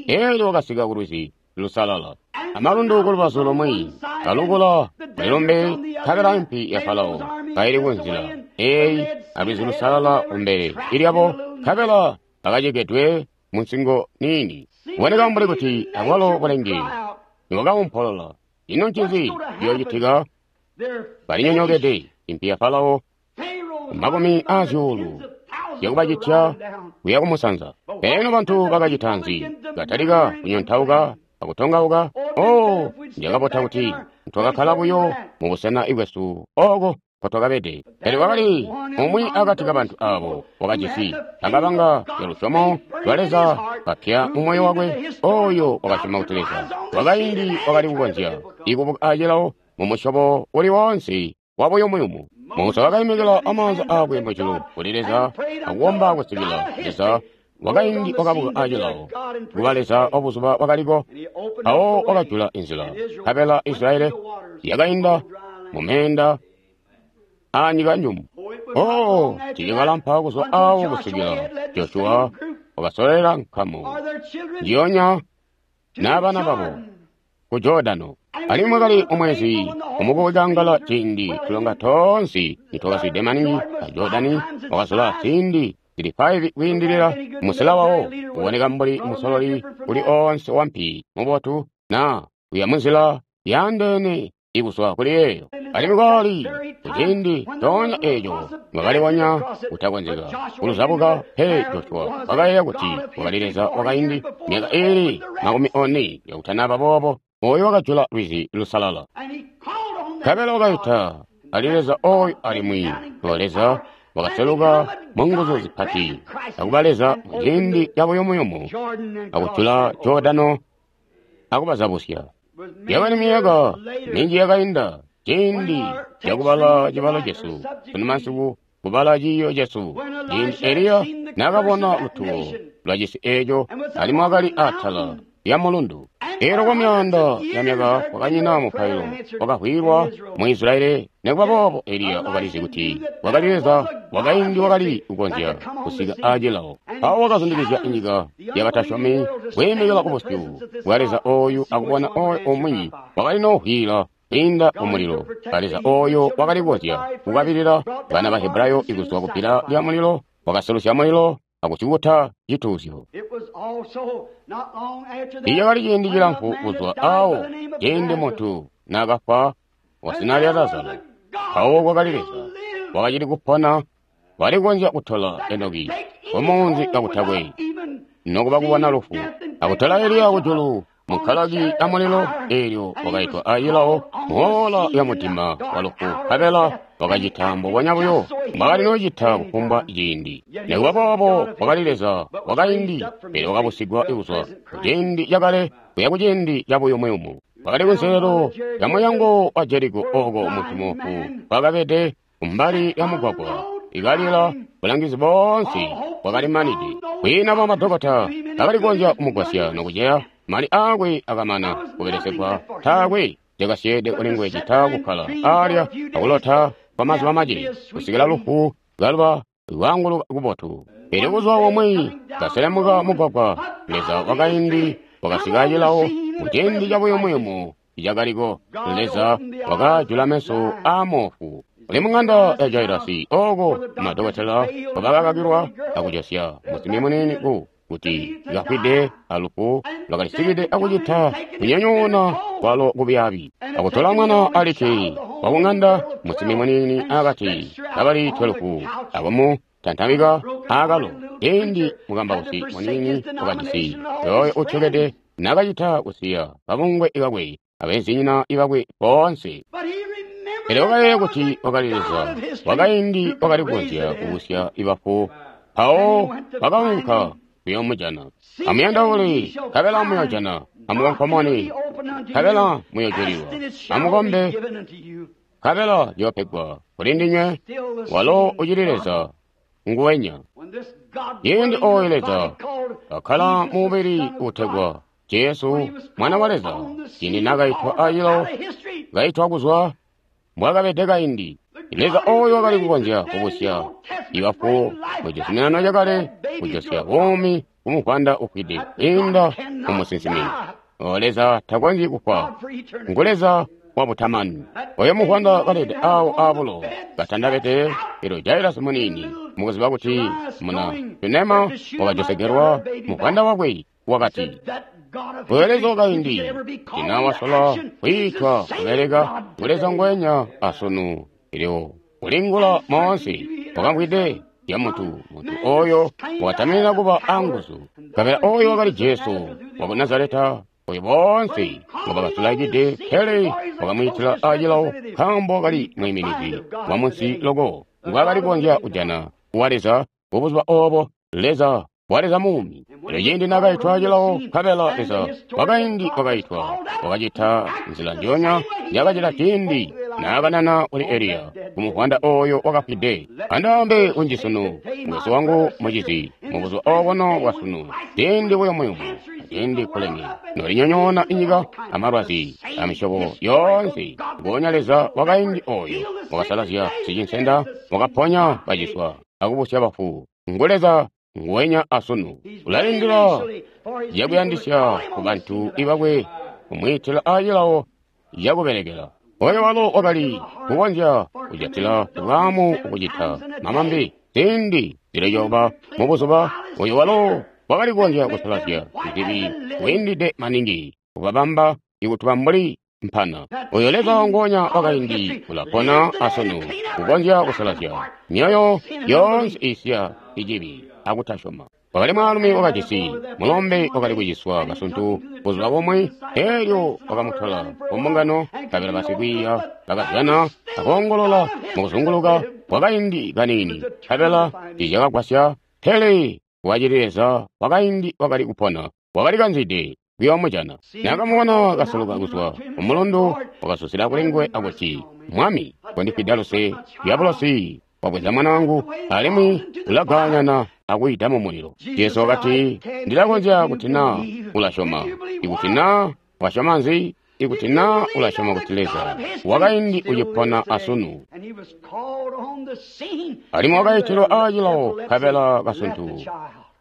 eelyo wakasika ku lwizi lusalala amalundu kulubazu lumwi, kalukula milumbe nkabela impi ya Farao kaili kunzila eeyi alwizi lusalala kumbele ilyabo, nkabela bakacegedwe munsingo niini. Kuboneka mbuli kuti akwalo bulenge niwakaumpolola. Ino ncinzi ciyoocitika? Balinyonyokede impi ya Farao makumi aazyuulu yakubacitya kuya kumusanza. Eno bantu bakacita nzi? Katalika kunyontauka akutongauka. Oh, njakabota kuti twakakkala buyo mubusena bwesu ooko nkotwakabede. Pele kwakali umwi akati kabantu aabo wakajisi akabanga ya lusyomo lwa Leza kapya mumoyo wakwe, oyo wakasyoma kuti Leza wakaindi wakali kukonzya ikubuka acilawo mumusyobo uli woonse wabuyumuyumu. Musa wakaimikila amaanza aakwe mujulu kuli Leza akukomba kusikila Leza wakaindi wakabuka acilawo kuba Leza wabuzuba wakaliko. Mpawo wakajula inzila, nkabela Israyeli yakainda mumeenda aanyika njumu. Oh, tiicakalampa kuzwa awo kusikila Joshua wakasololera nkamu njiyonya n'abana babo ku Jordano. Alimwi mwakali umwezi umukuwikangala ciindi tulonga toonse nitwakazwide maningi a Jordani wakazula ziindi zili faivi kwiindilila musela wawo, kuboneka mbuli musololi uli oonse wampi mubotu na kuya munzila yaandeene ikuzwa kuli yeeyo. Alimwi kwali kuciindi coonya eeco mwakaliwonya kutakonzeka kuluzabuka pe. Joshua wakayeeya kuti wakali Leza wakaindi myaka iili makumi one yakutanaba boobo, oyo wakajula lwizi lusalala. Nkabela wakaita ali Leza oyo alimwi wa Leza wakaseluka munguzu zipati akuba Leza muciindi cabuyumuyumu akujula Jordano akubazabusya. Yakali myaka minji yakainda ciindi cakubala cibalo cesu sunu masiku, kubala ciiyo cesu, ciindi Eliya naakabona lutuko lwa cisi eeco alimwi wakali atala lya mulundu. Eelyo kwamyaanda ya myaka kwakanyina mupailo wakavwiilwa mu Israyeli. Nikuba boobo Eliya wakalizi kuti wakali Leza wakaindi wakali kukonzya kusika acilawo. Mpawo wakazundikizya nyika yakatasyomi kwiimikila kubusyu bwa Leza ooyu akubona ooyo umwi wakali noovwiila kwiinda kumulilo. Leza ooyo wakali kukonzya kukwabilila bana ba Hebrayo ikuzwa kupila lya mulilo, wakaselusya mulilo akucikuta cituuzyo. Ichakali ciindi cilamfu kuzwa awo ciindi muntu naakafwa wazina lya Lazaro. Mpawo kwakali Leza wakacili kupona, wali kukonzya kutola Enoki kumunzi kakutakwe nokuba kubona lufu, akutola Eliya kujulu munkalaki ya mulilo. Eelyo wakaitwa acilawo muola ya mudima wa lufu, nkabela wakacita mbubonya buyo mbwakali noocita kufumbwa ciindi. Nikuba boobo wakali Leza wakaindi, pele wakabusigwa kuzwa kuciindi cakale kuya kuciindi cabuyumuyumu. Wakali kunselelo ya mulyango wa Jeriko ooko muntu moofu kwakabede kumbali ya mugwagwa ikalila. Bulangizi boonse bwakalimanide, kwiina bamadokota bakali kukonzya kumugwasya nokuceya. Mali aakwe akamana kubelesegwa, taakwe cakasyeede kulinguwe cita kukkala alya akulota kwa mazuba mace kusikila lufu kaluba lwaanguluka kubotu. Pele kuzwa womwe kaselemuka mugwagwa, Leza wakaindi wakasika acilawo muciindi cabuyumuyumu cakaliko. Leza wakajula meso aamoofu. Uli mung'anda ya Jairasi oko madokotela bakakakilwa akujosya musimbi muniini ku kuti kafwide alufu lwakalisikide akucita kunyonyoona kwalo kubyaabi akutola mwana alikke wakung'anda musimbi muniini akati kabali twelufu akumu tantamika akalo ciindi mukambausi muniini wakajisi yoyo utyokede nakacita kusiya kabungwe kakwe abenzinyina ibakwe boonse. Pele wakayeeya kuti wakali Leza wakaindi wakali kukonzya kubusya ibafu, mpawo wakaunka kuyoomujana. Amuyandaule, nkabela muyoojana. Amukonkomone, nkabela muyoojulilwa. Amukombe, nkabela yoopegwa kuli ndinywe. Walo ucili Leza nguwenya. Ciindi ooyo Leza kakkala mumubili uutegwa Jesu Mwana wa Leza, ciindi naakaitwa acilo, kaitwa kuzwa mbwaakabede kaindi. Leza ooyo wakali kukonzya kubusya ibafu mu cizuminano cakale, kujosya buumi kumuvwanda ufwide kwiinda mumusinsimi. O Leza takonzyi kufwa, ngu Leza wabutamani. Oyo muvwanda kalede awo aabulo katandabete, elyo Jairasi muniini mukuziba kuti muna Shunema wakajosekelwa muvwanda wakwe wakati, oyo Leza wakaindi tina wasola kwiitwa kubeleka ngu Leza ngwenya asunu. Elyo kulingula moonse wakamvwide ya muntu muntu oyo wakataminina kuba anguzu. Nkabela oyo wakali Jesu waku Nazareta, oyo boonse ngobakasulaikide, pele wakamwiitila acilawo nkaambo kali mwiiminizi wa munsi loko ngwaakali kukonzya kujana wa Leza kubuzuba oobo, Leza wa Leza muumi. Elyo ciindi naakaitwa acilawo, nkabela Leza wakaindi wakaitwa, wakacita nzila njoonya yakacita ciindi naakanana kuli Eliya kumuvwanda oyo wakafwide. Andaambe kunji sunu, mwesu wangu mucizi, mubuzuba obuno bwa sunu, ciindi buyumuyumu aciindi kulenge nolinyonyoona inyika amalwazi amisyobo yoonse, nguonya Leza wakaindi oyo wakasalazya sicinsenda, wakaponya baciswa akubusya bafu, ngu Leza nguwenya asunu. Ulalindila yakuyandisya ku bantu ibakwe kumwiitila acilawo yakubelekela. Oyo walo wakali kukonzya kujatila bwaamu kucita mamambi ziindi zilijoba mubuzuba. Oyo walo wakali kukonzya kusalazya zibi wiindide maningi kubabamba ikutuba mbuli mpana. Oyo Leza ngonya wakaindi ulapona asunu kukonzya kusalazya myoyo yoonse isya icibi akutasyoma. Wakali mwaalumi wakajisi mulombe wakali kuciswa kasuntu buzuba bumwi, elyo wakamutola kumbungano. Nkabela basikwiiya bakazyana akoongolola mukuzunguluka kwakaindi kaniini, nkabela tiizyakagwasya. Pele wacili Leza wakaindi wakali kupona, wakali kanzide kuyoomujana. Naakamubona kasuluka kuzwa kumulundu, wakasusila kulinguwe akuti, Mwami, kondifwida luse, Diabolosi wabweza mwana wangu alimwi ulaganyana akuyita mu mulilo. Jesu wakati, ndilakonzya kuti na ulasyoma. Ikuti na wasyoma nzi? Ikuti na ulasyoma kuti Leza wakaindi ucipona asunu. Alimwi wakaitilwa aacilawo, nkabela kasuntu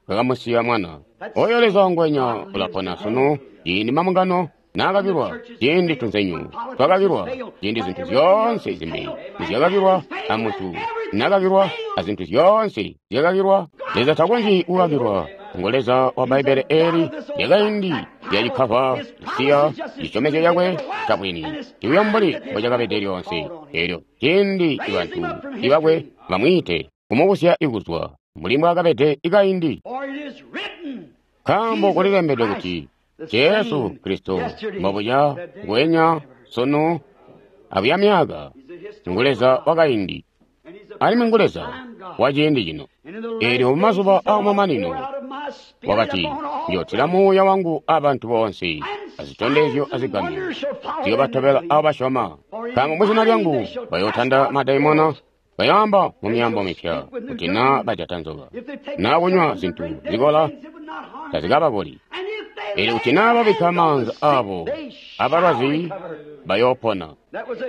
kakamusiya mwana. Oyo Leza ngwenya ulapona sunu. Ciindi mamungano naakakilwa, ciindi tunzenyu twakakilwa, ciindi zintu zyoonse zimbi zyakakilwa amuntu nakakilwa, azintu zyoonse zyakakilwa, Leza takonzyi kukakilwa. Ngu Leza wa Bbaibbele eeli lyakaindi lyacikkava lisiya cisyomezyo cakwe cabwini cibuyo mbuli mbocakabede lyoonse. Eelyo ciindi bantu ibakwe bamwiite kumubusya ikuzwa mbuli mbwaakabede ikaindi, nkaambo kulilembedwe kuti Jesu Kristo mbobuca ngwenya sunu abuya myaka. Ngu Leza wakaindi alimwi ngu Leza wa ciindi cino. Eelyo mumazuba aakumamanino wakati, njootila muuya wangu abantu boonse, azitondezyo azigambyo ziyobatobela abo basyoma. Nkaambo mwizina lyangu bayootanda madaimona, bayoamba mu myaambo mipya, kuti naa bajata nzoka naa kunywa zintu zikola tazikababuli. Eelyo kuti naa babikka maanza aabo abalwazi bayoopona.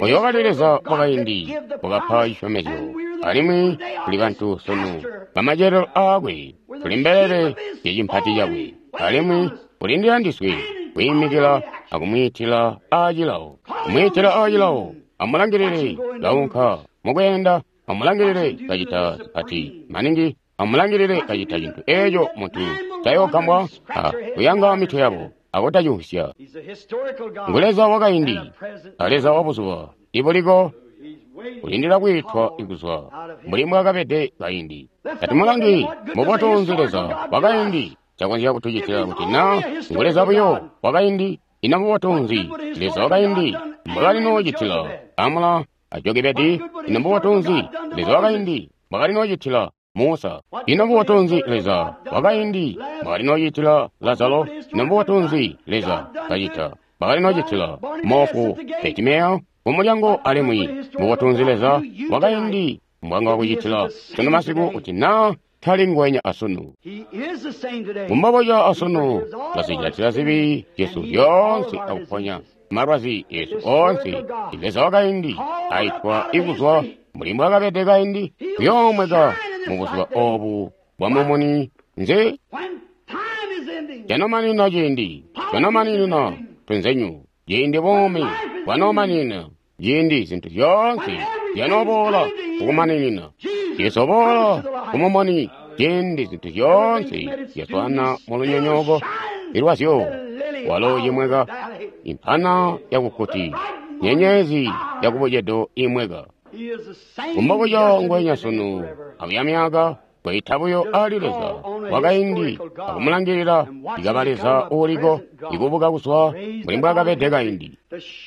Oyo wakali Leza wakaindi wakapa cisyomezyo, alimwi tuli bantu sunu bamacelelo aakwe, tuli mbelele yacimpati cakwe, alimwi ulindila ndiswe kwiimikila akumwiitila aacilawo, kumwiitila aacilawo. Amulangilile launka mukweenda. Amulangilile kacita zipati maningi. Amulangilile kacita cintu eeco muntu tayoogambwa a kuyanga mitwe yabo akutacimvwisya. Ngu Leza wakaindi a Leza wabuzuba ibuliko kulindila kwiitwa kuzwa mbuli mbwakabede kaindi. Tatumulangi mubotu nzi Leza wakaindi cakonzya kutucitila kuti na ngu Leza buyo wakaindi. Ino mubotu nzi Leza wakaindi mbwakalinoocitila Amula a Jokebedi? Ino mubotu nzi Leza wakaindi mbwakalinoocitila Musa? Ino mbubotu nzi Leza wakaindi mbwakalinoocitila Lazaro? Ino mbubotu nzi Leza kacita mbwakalinoocitila moofu Bartimeyo kumulyango? Alimwi mbubotu nzi Leza wakaindi mbwanga kucitila sunu masiku kuti na tali ngwenya asunu? Kumboboca asunu lazijatila zibi zyesu zyoonse akuponya malwazi esu oonse. Leza wakaindi aitwa ikuzwa mbuli mbwakabede kaindi kuyoomweka mubuzuba obu bwa mumuni nzi canomanina ciindi canomaninina tunzenyu ciindi buumi bwanomanina ciindi zintu zyoonse zyanoboola kukumaninina. Yesu boola kumumuni ciindi zintu zyoonse zyaswana mulunyonyooko ilwazyo. Walo cimweka impana yakukuti nyenyezi yakubucedo imweka. Kumbokuca ngwenya sunu akuya myaka kweita buyo ali Leza wakaindi akumulangilila ikaba Leza uuliko ikubuka kuzwa mbuli mbwakabede kaindi.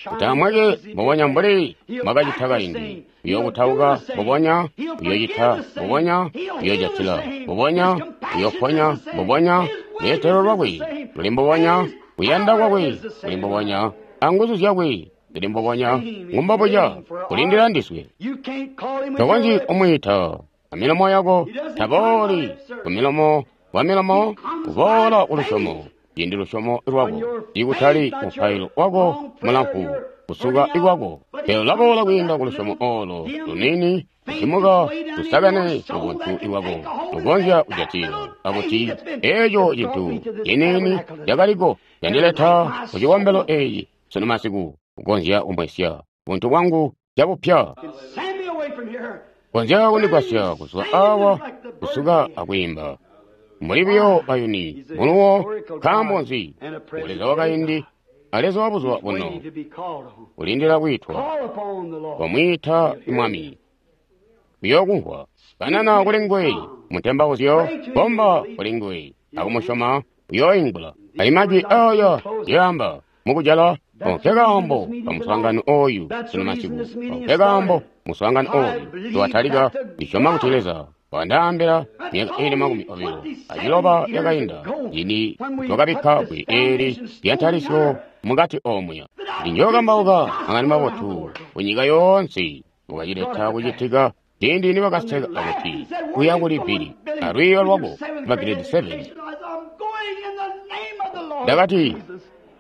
Kuti amweke mbubonya mbuli mwakacita kaindi, uyokutauka mbubonya, uyocita mbubonya, uyojatila mbubonya, uyoponya mbubonya. Lweetelo lwakwe luli mbubonya, kuyanda kwakwe kuli mbubonya, anguzu zyakwe zili mbubonya. Ngumbobuca kulindila ndiswe. Tokonzyi kumwiita amilomo yako, tabooli kumilomo wa milomo, kuboola kulusyomo. Ciindi lusyomo lwako ikutali mupailo wako mulamfu kusuka ikwako, pele ulaboola kwiinda kulusyomo olo lunini kusimuka lusakane mubuntu iwako lukonzya kujatila akuti eeco cintu ciniini cakaliko candileta kucikombelo eeci sunu masiku kukonzya kumwesya buntu bwangu cabupya. Konzya kundigwasya kuzwa awa kusuka akwiimba mbuli buyo bayuni muluwo. Nkaambo nzi? Ngu Leza wakaindi a Leza wabuzuba buno ulindila kwiitwa. Komwiita Mwami uyokumvwa. Kanana kuli nguwe mutembauzyo, komba kuli nguwe akumusyoma uyooingula. Ali majwi aya yaamba mukujala nkekaambo kamuswaangano oyu sunu masiku, nkekaambo muswaangano oyu tuwatalika. Ndisyoma kuti Leza wandaambila myaka ili makumi obilo aciloba yakainda cini twakabikka bwe eli lyantalisyo mukati omuya. Ndinjookambauka makani mabotu kunyika yoonse. Wakacileta kucitika ciindi nibakaseka akuti kuya kuli Bili alwiiyo lwako lwa grade seven. Ndakati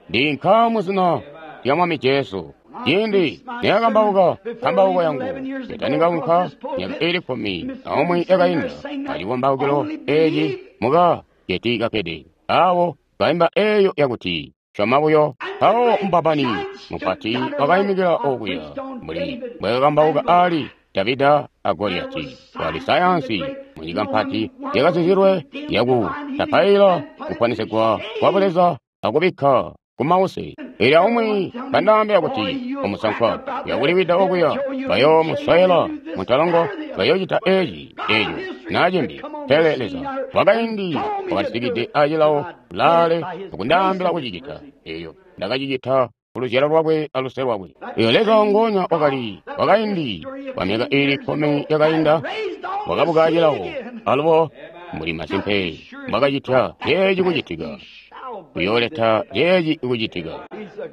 ndinka muzina lya Mwami Jesu. Ciindi neyakambauka kambauko yangu yataningaunka myaka ili kkumi aumwi yakainda acikombaukilo eeci muka jeti kapede awo kaimba eeyo yakuti syoma buyo. Mpawo mbabani mupati wakaimikila okuya mbuli mbwakakambauka ali Davida a Goliyati. Wali sayansi munyika mpati yakazizilwe yaku tapaila kuponesegwa kwa buleza akubikka kumause. Elya umwi bandaambila kuti omusankwa uyakuliwida okuya, bayoomuswayela mutalongo, bayoocita eeci eeco naacimbi. Pele Leza wakaindi wakalisikide acilawo laale akundaambila kucicita. Eeyo ndakacicita kuluzyalo lwakwe aluse lwakwe. Eyo Leza ngonya wakali wakaindi kwa myaka ili kkumi yakainda wakabuka acilawo alubo mbuli masimpe mbwakacita ceeci kucitika uyooleta ceeci kucitika.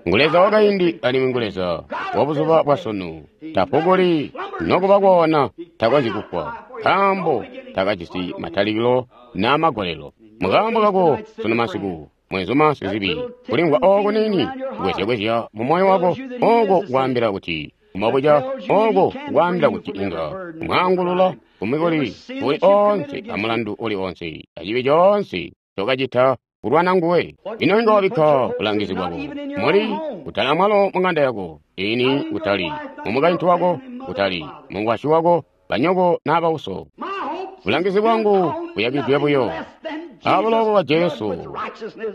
Ngu Leza wakaindi alimwi ngu Leza wabuzuba bwa sunu. Tapukuli nokuba koona, takonzyi kufwa, nkaambo takajisi matalikilo naa magolelo. Mukaambo kako sunu masiku, mwenzuma sizibi, kulimvwa ooko nini kukwezyakwezya mumoyo wako, ooko kwaambila kuti kumabuca, ooko kwaambila kuti inga kumwaangulula kumikuli uli oonse amulandu uli oonse acibi coonse cokacita kulwana nguwe. Ino inga wabikka bulangizi bwako muli kutala mwalo mung'anda yako Ini kutali mumukaintu wako, kutali mumukwasyi wako, banyoko naa bauso. Bulangizi bwangu buyakidwe buyo abulowa bwa Jesu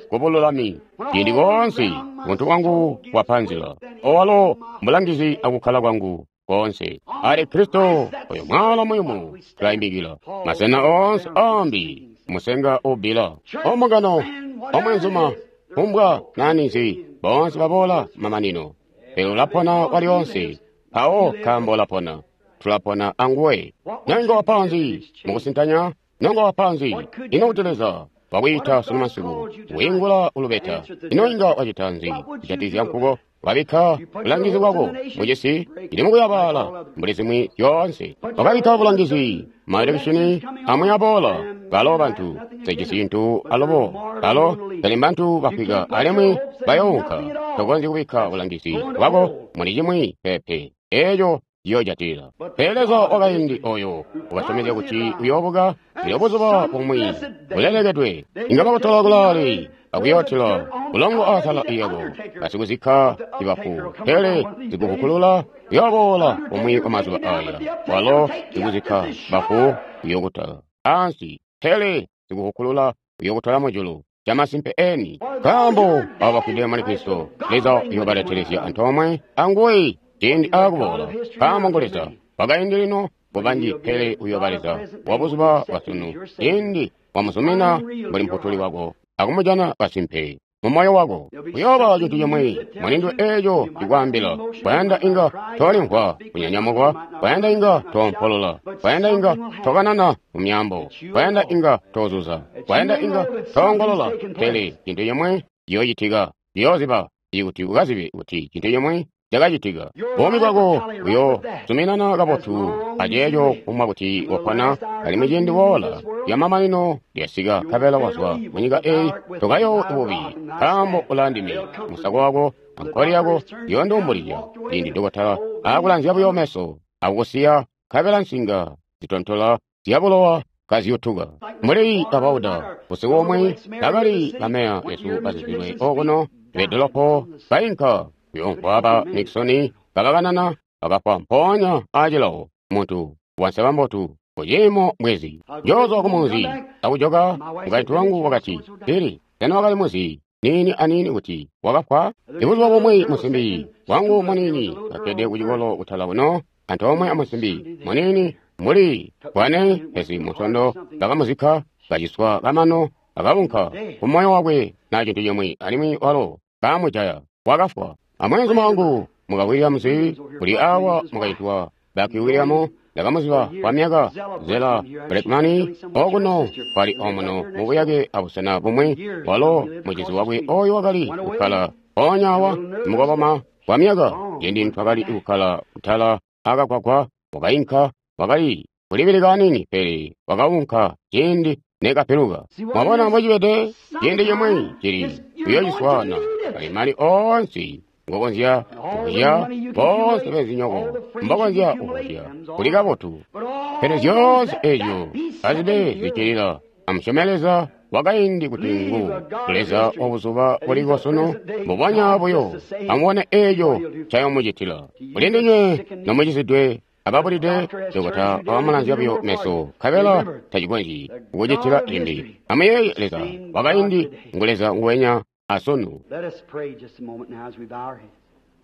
kubululami. Ciindi koonse buntu bwangu bwapa nzila, owalo mbulangizi akukkala kwangu koonse. Ali Kristo oyo mwala muyumu tulaimbikila masena oonse ambi musenga ubbila. Omugano omwenzuma kumbwa naninzi boonse baboola mamanino, pele ulapona walyoonse. Mpawo nkaambo ulapona, tulapona anguwe. Nonga wapanzi mukusintanya, nonga wapanzi. Ino kuti Leza wakwiita sunu masiku wiingula ulubeta, ino inga wacita nzi kujatikizya nkuko? Wabikka bulangizi bwako mucisi cili mukuyabaala mbuli zimwi zyoonse. Wakabikka bulangizi maelekishini amwi aboola balo bantu sejisi cintu alubo balo tali mbantu bafwika alimwi bayounka. Tokonzyi kubikka bulangizi bwako muli cimwi pepe eeco ciyoojatila. Pele Leza wakaindi oyo ukasyomezya kuti uyoobuka buyo buzuba bumwi bulelekedwe. Inga bakutola kulaale akuyootila bulongo aatala iyako basikuzikka cibafu, pele zikuvukulula uyooboola bumwi bwa mazuba aya. Walo sikuzikka bafu uyookutala ansi, pele zikuvukulula uyookutala mujulu. Camasimpe eni, nkaambo abo bafwide muli Kristo Leza uyoobaletelezya antoomwe anguwe ciindi aakuboola. Nkaambo ngu Leza wakaindi lino bubanji, pele uyooba Leza wa buzuba bwa sunu ciindi wamuzumina mbuli Mufutuli wako akumujana kasimpe mumoyo wako. Uyooba cintu cimwi mulinduwe eeco cikwaambila kwayanda inga toolimvwa kunyanyamukwa, kwayanda inga toompolola, kwayanda inga tokanana mumyaambo, kwayanda inga toozuza, kwayanda inga toongolola, pele cintu cimwi ciyoocitika. Ciyooziba ikuti ukazibe kuti cintu cimwi cakacitika. Buumi bwako buyoozuminana kabotu aceeco kumwa kuti wapona, alimwi ciindi woola lyamamanino lyasika nkabela wazwa munyika eyi, tokayoowi bubi, nkaambo ulaandime. Musako wako ankoli yako ziyoonduumbulizya. Ciindi dokotela aakulanzya buyo meso akukusiya, nkabela nsinga zitontola zyabulowa kaziyutuka. Mbuli abauda busiku bumwi bakali bameya besu bazizilwe okuno bedolopo bainka kuyoomvwa ba Nixon kabakanana, bakafwa mpoonya aacilawo. Muntu wanseba mbotu kuciimo bwezi. Njoozwa kumunzi akujoka, mukaintu wangu wakati, Pili, sena wakali muzi niini aniini kuti wakafwa? Ibuzuba bumwi musimbi wangu muniini kakkede kucikolo kutala kuno antoomwe amusimbi muniini mbuli bwane, pesi musondo bakamuzikka kaciswa kamano akabunka kumoyo wakwe na cintu cimwi, alimwi walo kaamujaya wakafwa. Amweenzuma wangu muka Williams kuli awa mukaintu wa Bucky William ndakamuziba kwa myaka Zela Blackman okuno kwali omuno mubuyake abusena bumwi. Walo mucizi wakwe oyo wakali kukkala mpoonya awa mukoboma kwa myaka. Ciindi twakali kukkala kutala akagwagwa, wakainka wakali kulibilika aniini, pele wakaunka ciindi nekapiluka. Mwabona mbocibede? Ciindi cimwi cili uyociswaana kali mali oonse ngokonzya kuvuzya, boonse benzinyoko mbokonzya kuvuzya kuli kabotu, pele zyoonse ezyo azibe zicilila. Amusyome Leza wakaindi kuti ngu Leza wabuzuba buliko sunu, mbubonya buyo. Amubone eeco ncayomucitila. Kuli ndinywe nomucisidwe ababulide, dokota wamulanzya buyo meso, nkabela tacikonzyi kukucitila limbi. Amuyeeye Leza wakaindi ngu Leza nguwenya asunu.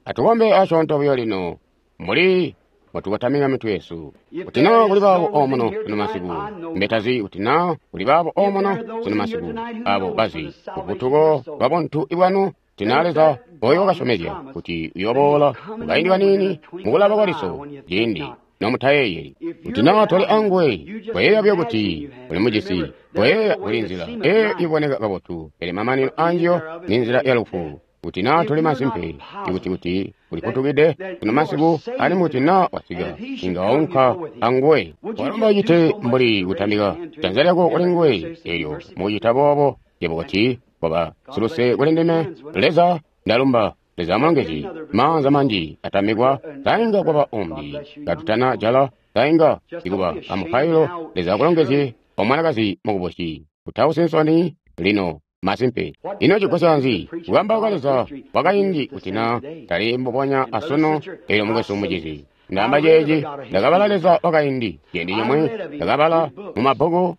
Atukombe asyoonto buyo lino mbuli mbwetukotamika mitwe yesu. Kuti naa kuli baabo omuno sunu masiku mbetazi, kuti naa kuli baabo omuno sunu masiku abo bazi lufutuko lwa buntu bwanu, kuti naa Leza oyo wakasyomezya kuti uyooboola mukaindi kaniini mukulaba kwa liso ciindi nomutayeeyeli, kuti naa toli anguwe, koyeeya buyo kuti uli mujisi, koyeeya kuli nzila eeyo iboneka kabotu, pele mamanino anjiyo ni nzila ya lufu. Kuti naa tuli masimpe ikuti kuti ulifutukide sunu masiku, alimwi kuti naa wasika inga waunka anguwe. Walomba cite mbuli kutambika janza lyako kuli nguwe, eelyo mukucita boobo yebo kuti koba siluse kuli ndime. Leza, ndalumba. Leza amulongezye. Maanza manji atamikwa, sainga kwaba umbi katutana jala, sainga ikuba amupailo. Leza akulongezye omwanakazi mukubusi. Utausi nsoni lino Masimpe. Ino cigwasya nzi kukambauka Leza wakaindi kuti na tali mbubonya asunu? Elyo mukwesu, mucizi, ndaamba ceeci, ndakabala Leza wakaindi ciindi cimwe, ndakabala mu mabbuku,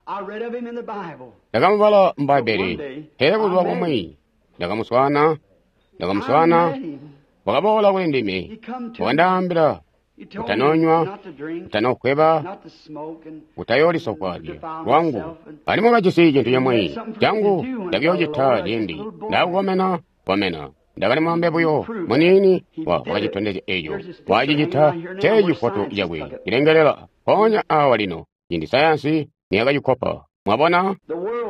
ndakamubala mu Bbaibbele, pele buzuba bumwi ndakamuswaana, ndakamuswaana, wakaboola kuli ndime, wakandaambila kutanonywa, kutanokweba, kutayoolisofwaazya lwangu. Alimwi wakajisi cintu cimwe cangu ndakuyoocita ciindi ndaakukomena komena. Ndakali mulombe buyo muniini wa wakacitondezya eco. Wacicita ceeci foto cakwe cilengelela mpoonya awa lino, ciindi sayansi niyakacikopa. Mwabona,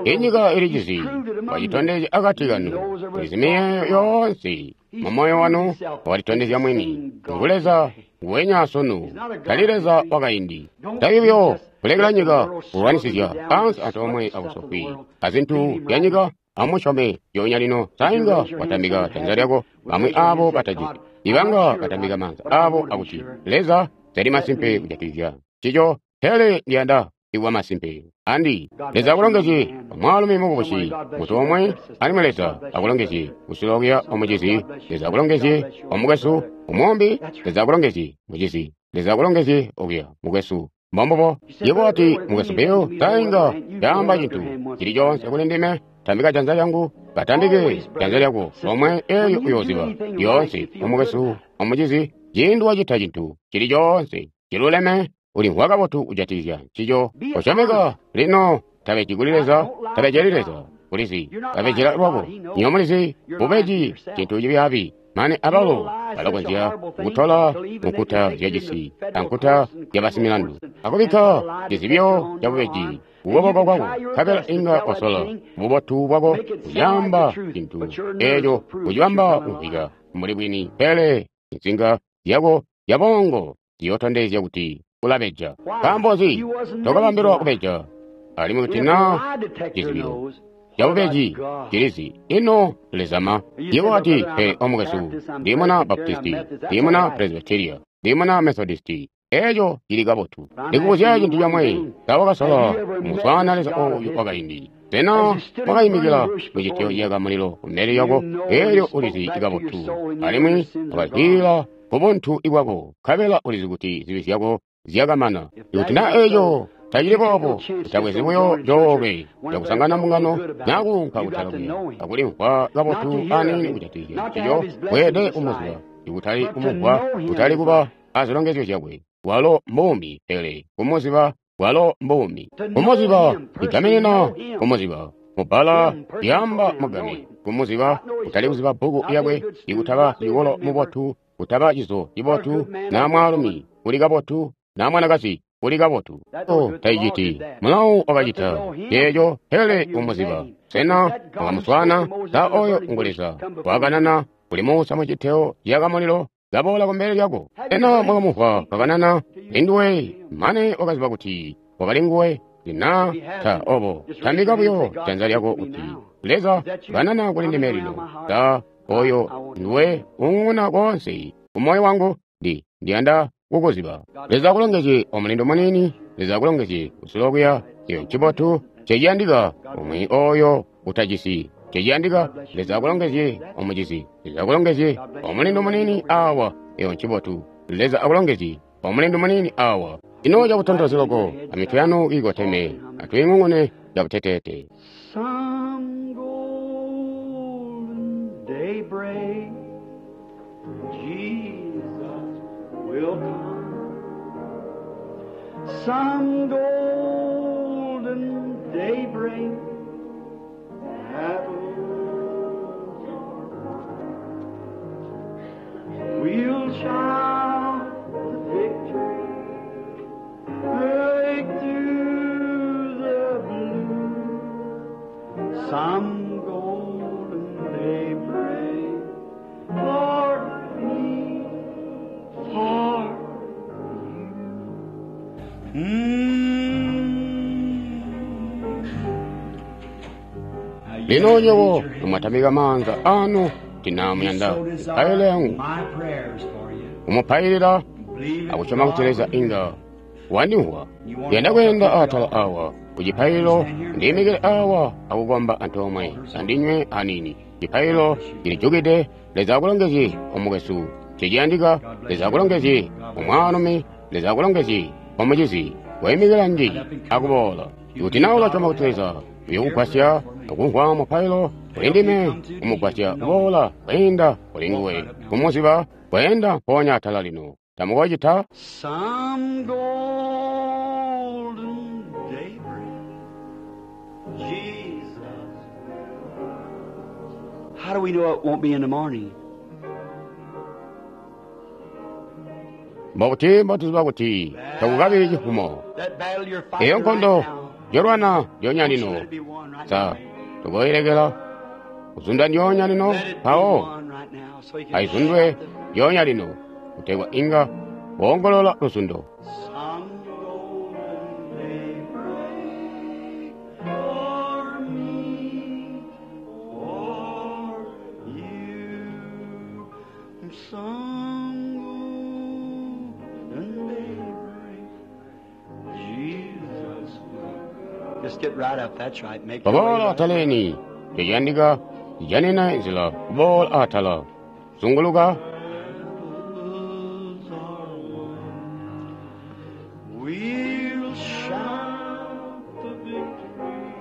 inyika ilicizi, wacitondezya akati kanu, ulizi miyeeyo yoonse mu moyo wanu, walitondezya mwini. Ngu Leza nguwenya asunu, tali Leza wakaindi. Tabi buyo kulekela nyika kulwanisizya ansi antoomwe abusofwi azintu bya nyika. Amusyome zyoonya lino. Sainga watambika janza lyako, bamwi abo batajisi ibanga batambika maanza abo akuti, Leza, zali masimpe kujatikizya ncico, pele ndiyanda ikuba masimpe. Andi Leza akulongezye omwaalumi mukubusi mutu omwe, alimwi Leza akulongezye kusilokuya omucizi. Leza akulongezye omukwesu omwombi. Leza akulongezye mucizi. Leza akulongezye okuya mukwesu. Mbombubo. Yebo wati, mukwesu Bill, sainga yaamba cintu cili coonse kuli ndime. Tambika janza lyangu, katambike janza lyako lomwe, elyo uyooziba lyoonse. Omukwesu omucizi, ciindi wacita cintu cili coonse ciluleme, ulimvwa kabotu kujatikizya ncico. Kosyomeka lino, tabeji kuli Leza, tabejeli Leza, ulizi, tabejela lwako. Nyo mulizi, bubeji cintu cibyaabi, mane abalo balakonzya kutola nkuta zyacisi ankuta zyabasimilandu akubikka cizibyo cabubeji kukuboko kwako, nkabela inga wasola bubotu bwako kucamba cintu eco kucibamba kumvwika mbuli bwini, pele insinga zyako zyabongo ziyootondezya kuti ulabeja. Nkaambo nzi tokabambilwa kubeja? Alimwi kuti na cizibyo cabubeji cilizi, ino lezama. Yebo wati, pele omukwesu, ndi muna Baptisti, ndi muna Presbyteria, ndi muna Methodisti. Eco cili kabotu. Ndikubuzya cintu comwe, sa wakasola kumuswaana Leza oyu wakaindi? Sena wakayimikila muciteo ciyaka mulilo kumbele lyako? Elyo ulizi kabotu, alimwi wakazwila kubuntu bwako, nkabela ulizi kuti zibi zyako zyakamana. Ikuti na eco tacili boobo, utabwezi buyo coolwe cakusangana mbungano naa kuunka kutala kuya akulimvwa kabotu aniini kujatikizya ncico. Weelede kumuziba, ikutali kumumvwa, kutali kuba azilongezyo zyakwe. Walo mbuumi, pele kumuziba walo mbuumi. Kumuziba igaminina kumuziba mubbala lyamba mugame. Kumuziba kutali kuziba bbuku lyakwe, ikutaba cikolo mubotu, kutaba cizo cibotu, naa mwaalumi uli kabotu, naa mwanakazi uli kabotu. O taiciti mulawu wakacita eeco, pele kumuziba. Sena wakamuswaana? Sa oyo ngu Leza wakanana kuli Musa muciteo ciyaka mulilo kaboola kumbele lyako? Sena mwakamumvwa kakanana linduwe mane wakaziba kuti wakali nguwe? Lina ta obo, tambika buyo janza lyako kuti, Leza, kanana kuli ndime lino. Sa oyo nduwe ung'ung'una koonse kumoyo wangu? Ndi ndiyanda kukuziba. Leza akulongezye omulindo muniini. Leza akulongezye kusilokuya. Eyo ncibotu ceciyandika umwi oyo utajisi ceciyandika. Leza akulongezye omucizi. Leza akulongezye omulindo muniini awa. Eyo ncibotu. Leza akulongezye omulindo muniini awa. Ino cakutontozi loko, amitwe yanu iikoteme, atwiing'ung'une cabuteteete. Some golden day break, Jesus will come. Some golden day break, battles are won. We'll shout the victory, break through the blue. Some golden day break for me, for you. Mm. Lino nywebo nomwatamika maanza anu tinamuyanda mipailo yangu kumupailila akusyoma kuti Leza inga wandimvwa. Ndiyanda kweenda atala awa ku cipaililo, ndiimikile awa akukomba antoomwe andinywe aniini. Cipaililo cilijukide. Leza akulongezye omukwesu. Ciciyandika. Leza akulongezye omwaalumi. Leza akulongezye omucizi. Waimikila nji akuboola. Ikuti na ulasyoma kuti Leza uyokugwasya akumvwa mupailo kuli ndime, kumugwasya kuboola kweenda kuli nguwe, kumuziba kweenda mpoonya atala lino. Tamukocita? Some golden daybreak, Jesus. How do we know it won't be in the morning? Mbokuti mbotuziba kuti takukabi cifumo. That battle you're Eyo fighting right nkondo now, yolwana ndyoonya lino. let it be won right Sa now. tukoyilekela kuzunda ndyoonya lino Let it be mpawo won right now so you can ayizundwe shout the ndyoonya lino kutegwa inga woongolola luzundo. Some golden daybreak for me, for you. Some golden daybreak, Jesus will. Just get right up. That's right. Make your way Baboola right up. ataleni ciciyandika cijanina nzila kuboola atala zunguluka. Battles are won. We'll shout the victory,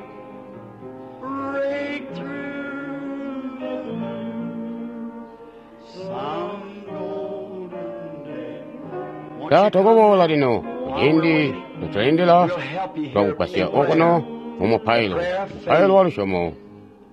break through the gloom. Some golden day. Won't Sa you come? tokoboola lino kuciindi notulindila We'll help you here twakugwasya in prayer. okuno mu mupailo, mupailo wa lusyomo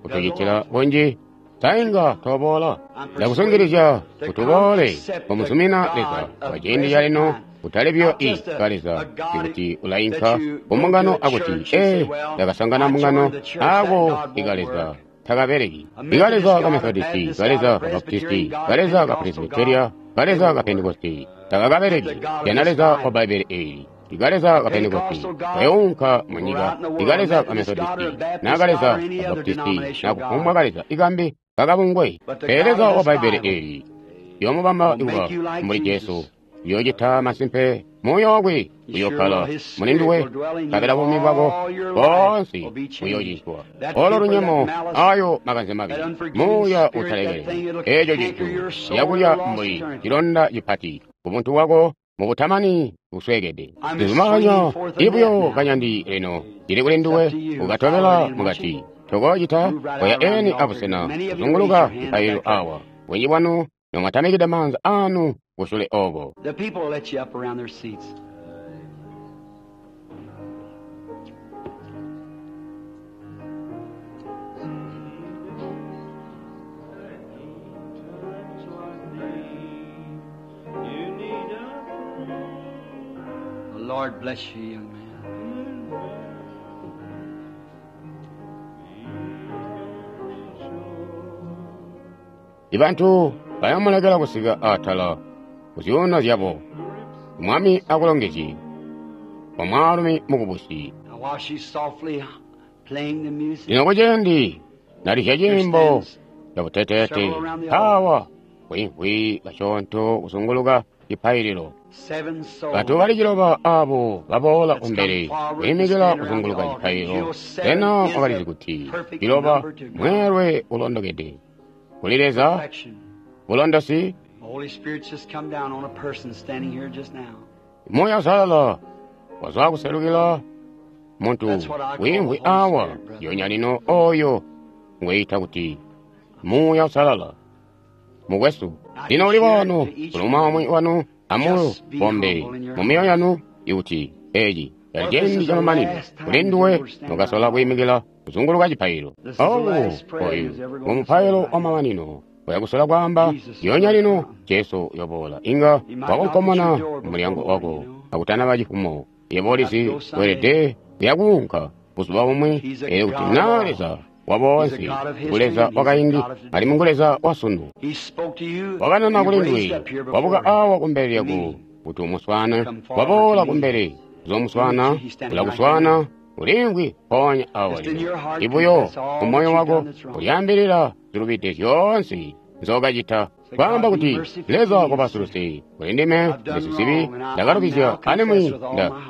kutucitila bunji. Sainga toboola ndakusungilizya kuti uboole komuzumina Leza kwa ciindi calino, kutali buyo i ka Leza ikuti ulainka kumbungano akuti ee ndakasangana mbungano ako ika Leza takabeleki. Ika Leza ka Methodisti, ka Leza ka Baptisti, ka Leza ka Presbyteria, ka Leza ka Pentekosti takakabeleki. Jana Leza wa Bbaibele eeli ika Leza ka Pentekosti kayounka mu nyika, ika Leza ka Methodisti, na ka Leza ka Baptisti, na kufumbwa ka Leza ikambi kakabungwe. Pele Leza wa Bbaibele eeli yoomubamba ikuba mbuli Jesu, uyoocita masimpe muuya wakwe uyokkala muli nduwe, nkabela buumi bwako boonse buyoocincwa. Olo lunyemo, ayo makanze mabi, muuya utalekele, eeco cintu ciyakulya mbuli cilonda cipati kubuntu bwako mubutamani busweekede. Zizumanya ibuyo kanyandi lino cili kuli nduwe, ukatobela mukati tokoocita koya eni abusena kuzunguluka cipaililo awa. Bunji bwanu nomwatamikide maanza anu kusule oko. The people will let you up around their seats. The Lord bless you, young man. Ibantu bayamulekela kusika atala kuzyuuno zyabo. Mwami akulongezye omwaalumi mukubusi. Now, while she's softly playing the music, Lino kuciindi nalizya ciimbo cabuteteete awa kuimvwi kasyoonto kuzunguluka cipaililo. seven souls. Bantu bali ciloba abo baboola kumbele kwiimikila kuzunguluka cipaililo. Sena wakalizi kuti ciloba mweelwe ulondokede kuli Leza Perfection. bulondosi. The Holy Spirit's just come down on a person standing here just now. Muuya Uusalala wazwa kuselukila muntu wiimvwi awa yonya lino oyo ngweyita kuti Muuya Uusalala. Mukwesu, lino uli wano kuli umwi wanu amubombe mu myoyo yanu ikuti eci cali ciindi camamanino kuli nduwe nokasola kwiimikila kuzunguluka cipaililo. Owu oyu ngumupailo wamamanino uyakusola kwaamba yonya lino Jesu uyoboola inga wakonkomona mulyango wako akutanaba cifumo. Yebo ulizi weelede uyakuunka buzuba bumwi, elyo kuti na Leza wa boonse ngu Leza wakaindi alimwi ngu Leza wasunu. He spoke to you. Wakanena You kuli raised nduwe, up here before wabuka him. awa kumbele lyako kuti umuswane, waboola kumbele uzomuswana, ulakuswana ulimvwi mpoonya awa lino. Ibuyo mumoyo wako ulyaambilila zilubide zyoonse nzookacita. Kwaamba kuti, Leza koba siluse kuli ndime ndisizibi, ndakalubizya alimwi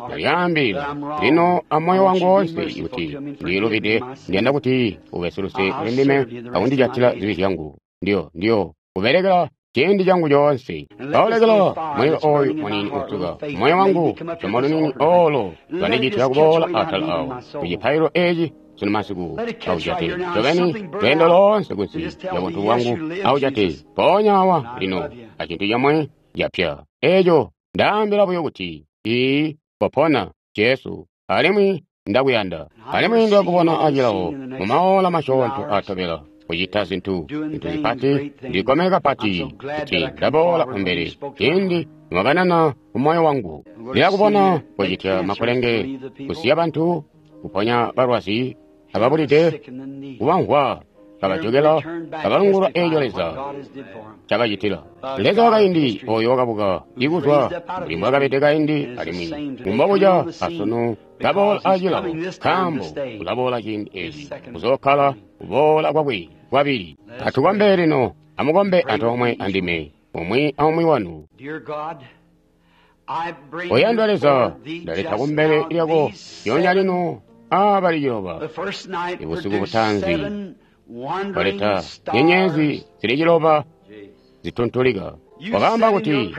ndalyaambilila lino amoyo wangu woonse kuti ndilubide. Ndiyanda kuti ube siluse kuli ndime akundijatila zibi zyangu. Ndiyo, ndiyo kubelekela ciindi cangu coonse. Kaulekela mulilo oyu muniini utuka moyo wangu, lusyomo luniini olo lwandicitila kuboola atala awo kucipaililo eci sunu masiku. Aujate ncobeni lweendo loonse kunsi lya buntu bwangu, aujate mpoonya awa lino acintu comwe capya eco. Ndaambila buyo kuti, ii, kopona Jesu, alimwi ndakuyanda, alimwi ndakubona acilawo mumaola masyoonto atobela kucita zintu zintu zipati. Ndikomene kapati kuti ndaboola kumbele ciindi niwakanana kumoyo wangu. Ndilakubona kucitya makulenge, kusiya bantu, kuponya balwazi ababulide, kubamvwa kabajokela kabalungulula eeco Leza cakacitila. Leza wakaindi oyo wakabuka ikuzwa mbuli mbwakabede kaindi, alimwi mumbabuca asunu kaboola acilawo, nkaambo ulaboola ciindi eci kuzokkala kuboola kwakwe kwabili. Atukombe lino, amukombe antoomwe andime, umwi aumwi wanu. Oyandwa Leza, ndaleta kumbele lyako lyoonya lino aabali ciloba. Ibusiku butaanzi waleta nyenyezi zili ciloba zituntulika. Wakaamba kuti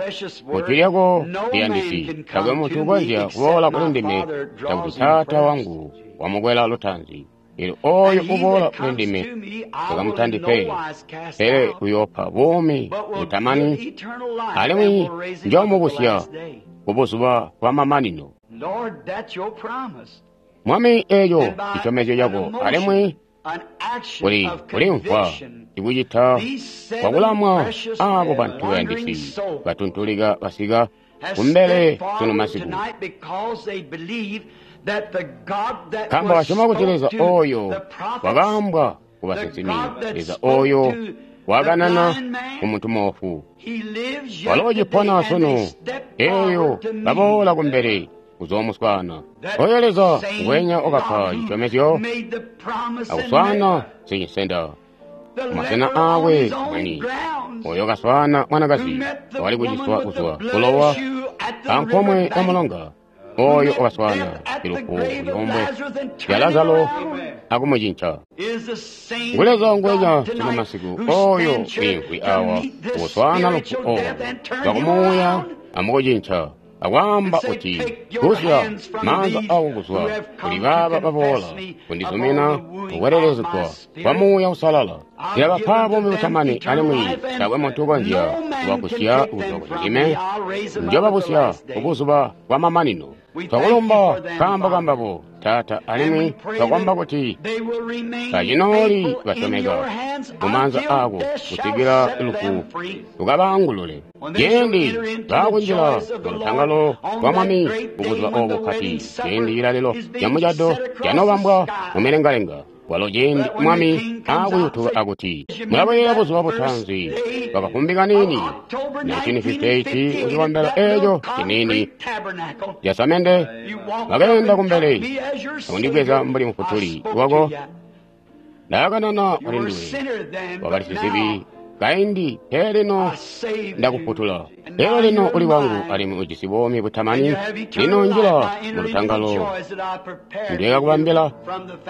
mujwi lyako liyandisi, taakwe muntu ukonzya kuboola kuli ndime cakuti Taata wangu wamukwela lutaanzi. Elyo oyo uboola kuli ndime takamutandi pe, pele uyoopa buumi butamani, alimwi njoomubusya kubuzuba bwamamanino. Mwami, eeco cisyomezyo cako, alimwi kuli kulimvwa ikucita kwakulamwa aabo bantu bayandisi batuntulika basika kumbele sunu masiku, nkaambo basyoma kuti Leza oyo wakaambwa kubasinsimi, Leza oyo wakanana kumuntu moofu, walo cipona sunu, eeyo baboola kumbele kuzoomuswaana. Oyo Leza ngwenya wakapa cisyomezyo akuswaana sicisenda kumasena aakwe mwini, oyo kaswaana mwanakazi wakali kuciswa kuzwa kulowa ankomwe ya mulonga, oyo wakaswaana cilufu kucombwe lya Lazaro akumucinca. Ngu Leza ngwenya sunu masiku oyo wiimvwi awa kuswaana lufu olo lwakumuuya amukucinca, akwaamba kuti, gusya maanza ako kuzwa kuli baaba baboola kundizumina kukwelelezegwa kwa Muuya Uusalala. Ndilabapa buumi butamani, alimwi taakwe muntu ukonzya kubagusya kuzwa kuli ndime. Njoobabusya kubuzuba bwamamanino. Twakulumba nkaambo kambabo, Taata, alimwi twakomba kuti bacinooli basyomeka mumaanza aako kusikila lufu lukabaangulule. Ciindi baakunjila mulutangalo lwa Mwami kubuzuba oobo bupati, ciindi cilalilo camucado canoobambwa mumilengalenga, walo ciindi Mwami aakuyutuka akuti, mulabwelela buzuba butaanzi bwakafumbika niini nineteen fifty-eight kucikombelo eeco ciniini casamende, bakeenda kumbele akundibweza mbuli mufutuli wako. Ndaakanana kuli nduwe, wakali sizibi kaindi, pele lino ndakufutula. Lelo lino uli wangu alimwi ujisi buumi butamani. Lino njila mulutangalo ndwekakubambila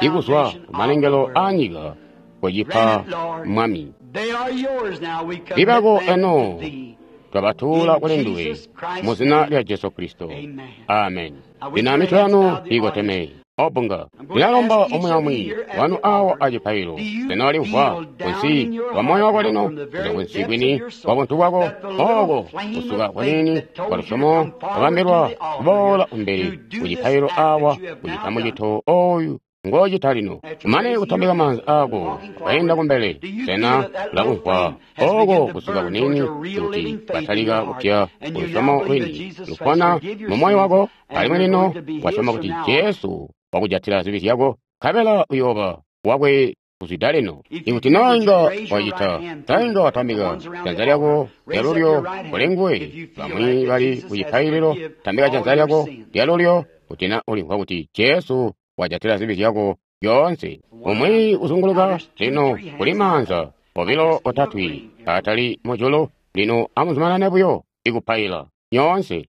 ikuzwa kumalengelo aanyika, kucipa Mwami. Ibako eno twabatuula kuli nduwe muzina lya Jesu Kristo. Amen. Lino mitwe yanu ikoteme. Obunga ndilalomba umwi aumwi wanu awa acipaililo, sena walimvwa kunsi kwa moyo wako lino, kuzwa kunsi kwini kwa buntu bwako, oko kusuka kuniini kwa lusyomo kwabambilwa kuboola kumbele kucipaililo awa kucita mucito oyu ngocita lino. Mane kutambika maanza ako kwayenda kumbele, sena ulakumvwa oko kusuka kuniini kuti kwatalika kupya kulusyomo lwini lupona mu moyo wako, alimwi lino wasyoma kuti Jesu wakujatila zibi zyako, nkabela uyooba wakwe kuzwida lino. Ikuti naa inga wacita, tainga watambika janza lyako lyalulyo kuli nguwe. Bamwi bali kucipaililo, tambika janza lyako lyalulyo kuti na ulimvwa kuti Jesu wajatila zibi zyako zyoonse. Umwi uzunguluka lino kuli maanza Obilo otatwe atali mujulu. Lino amuzumanane buyo ikupaila, nyoonse.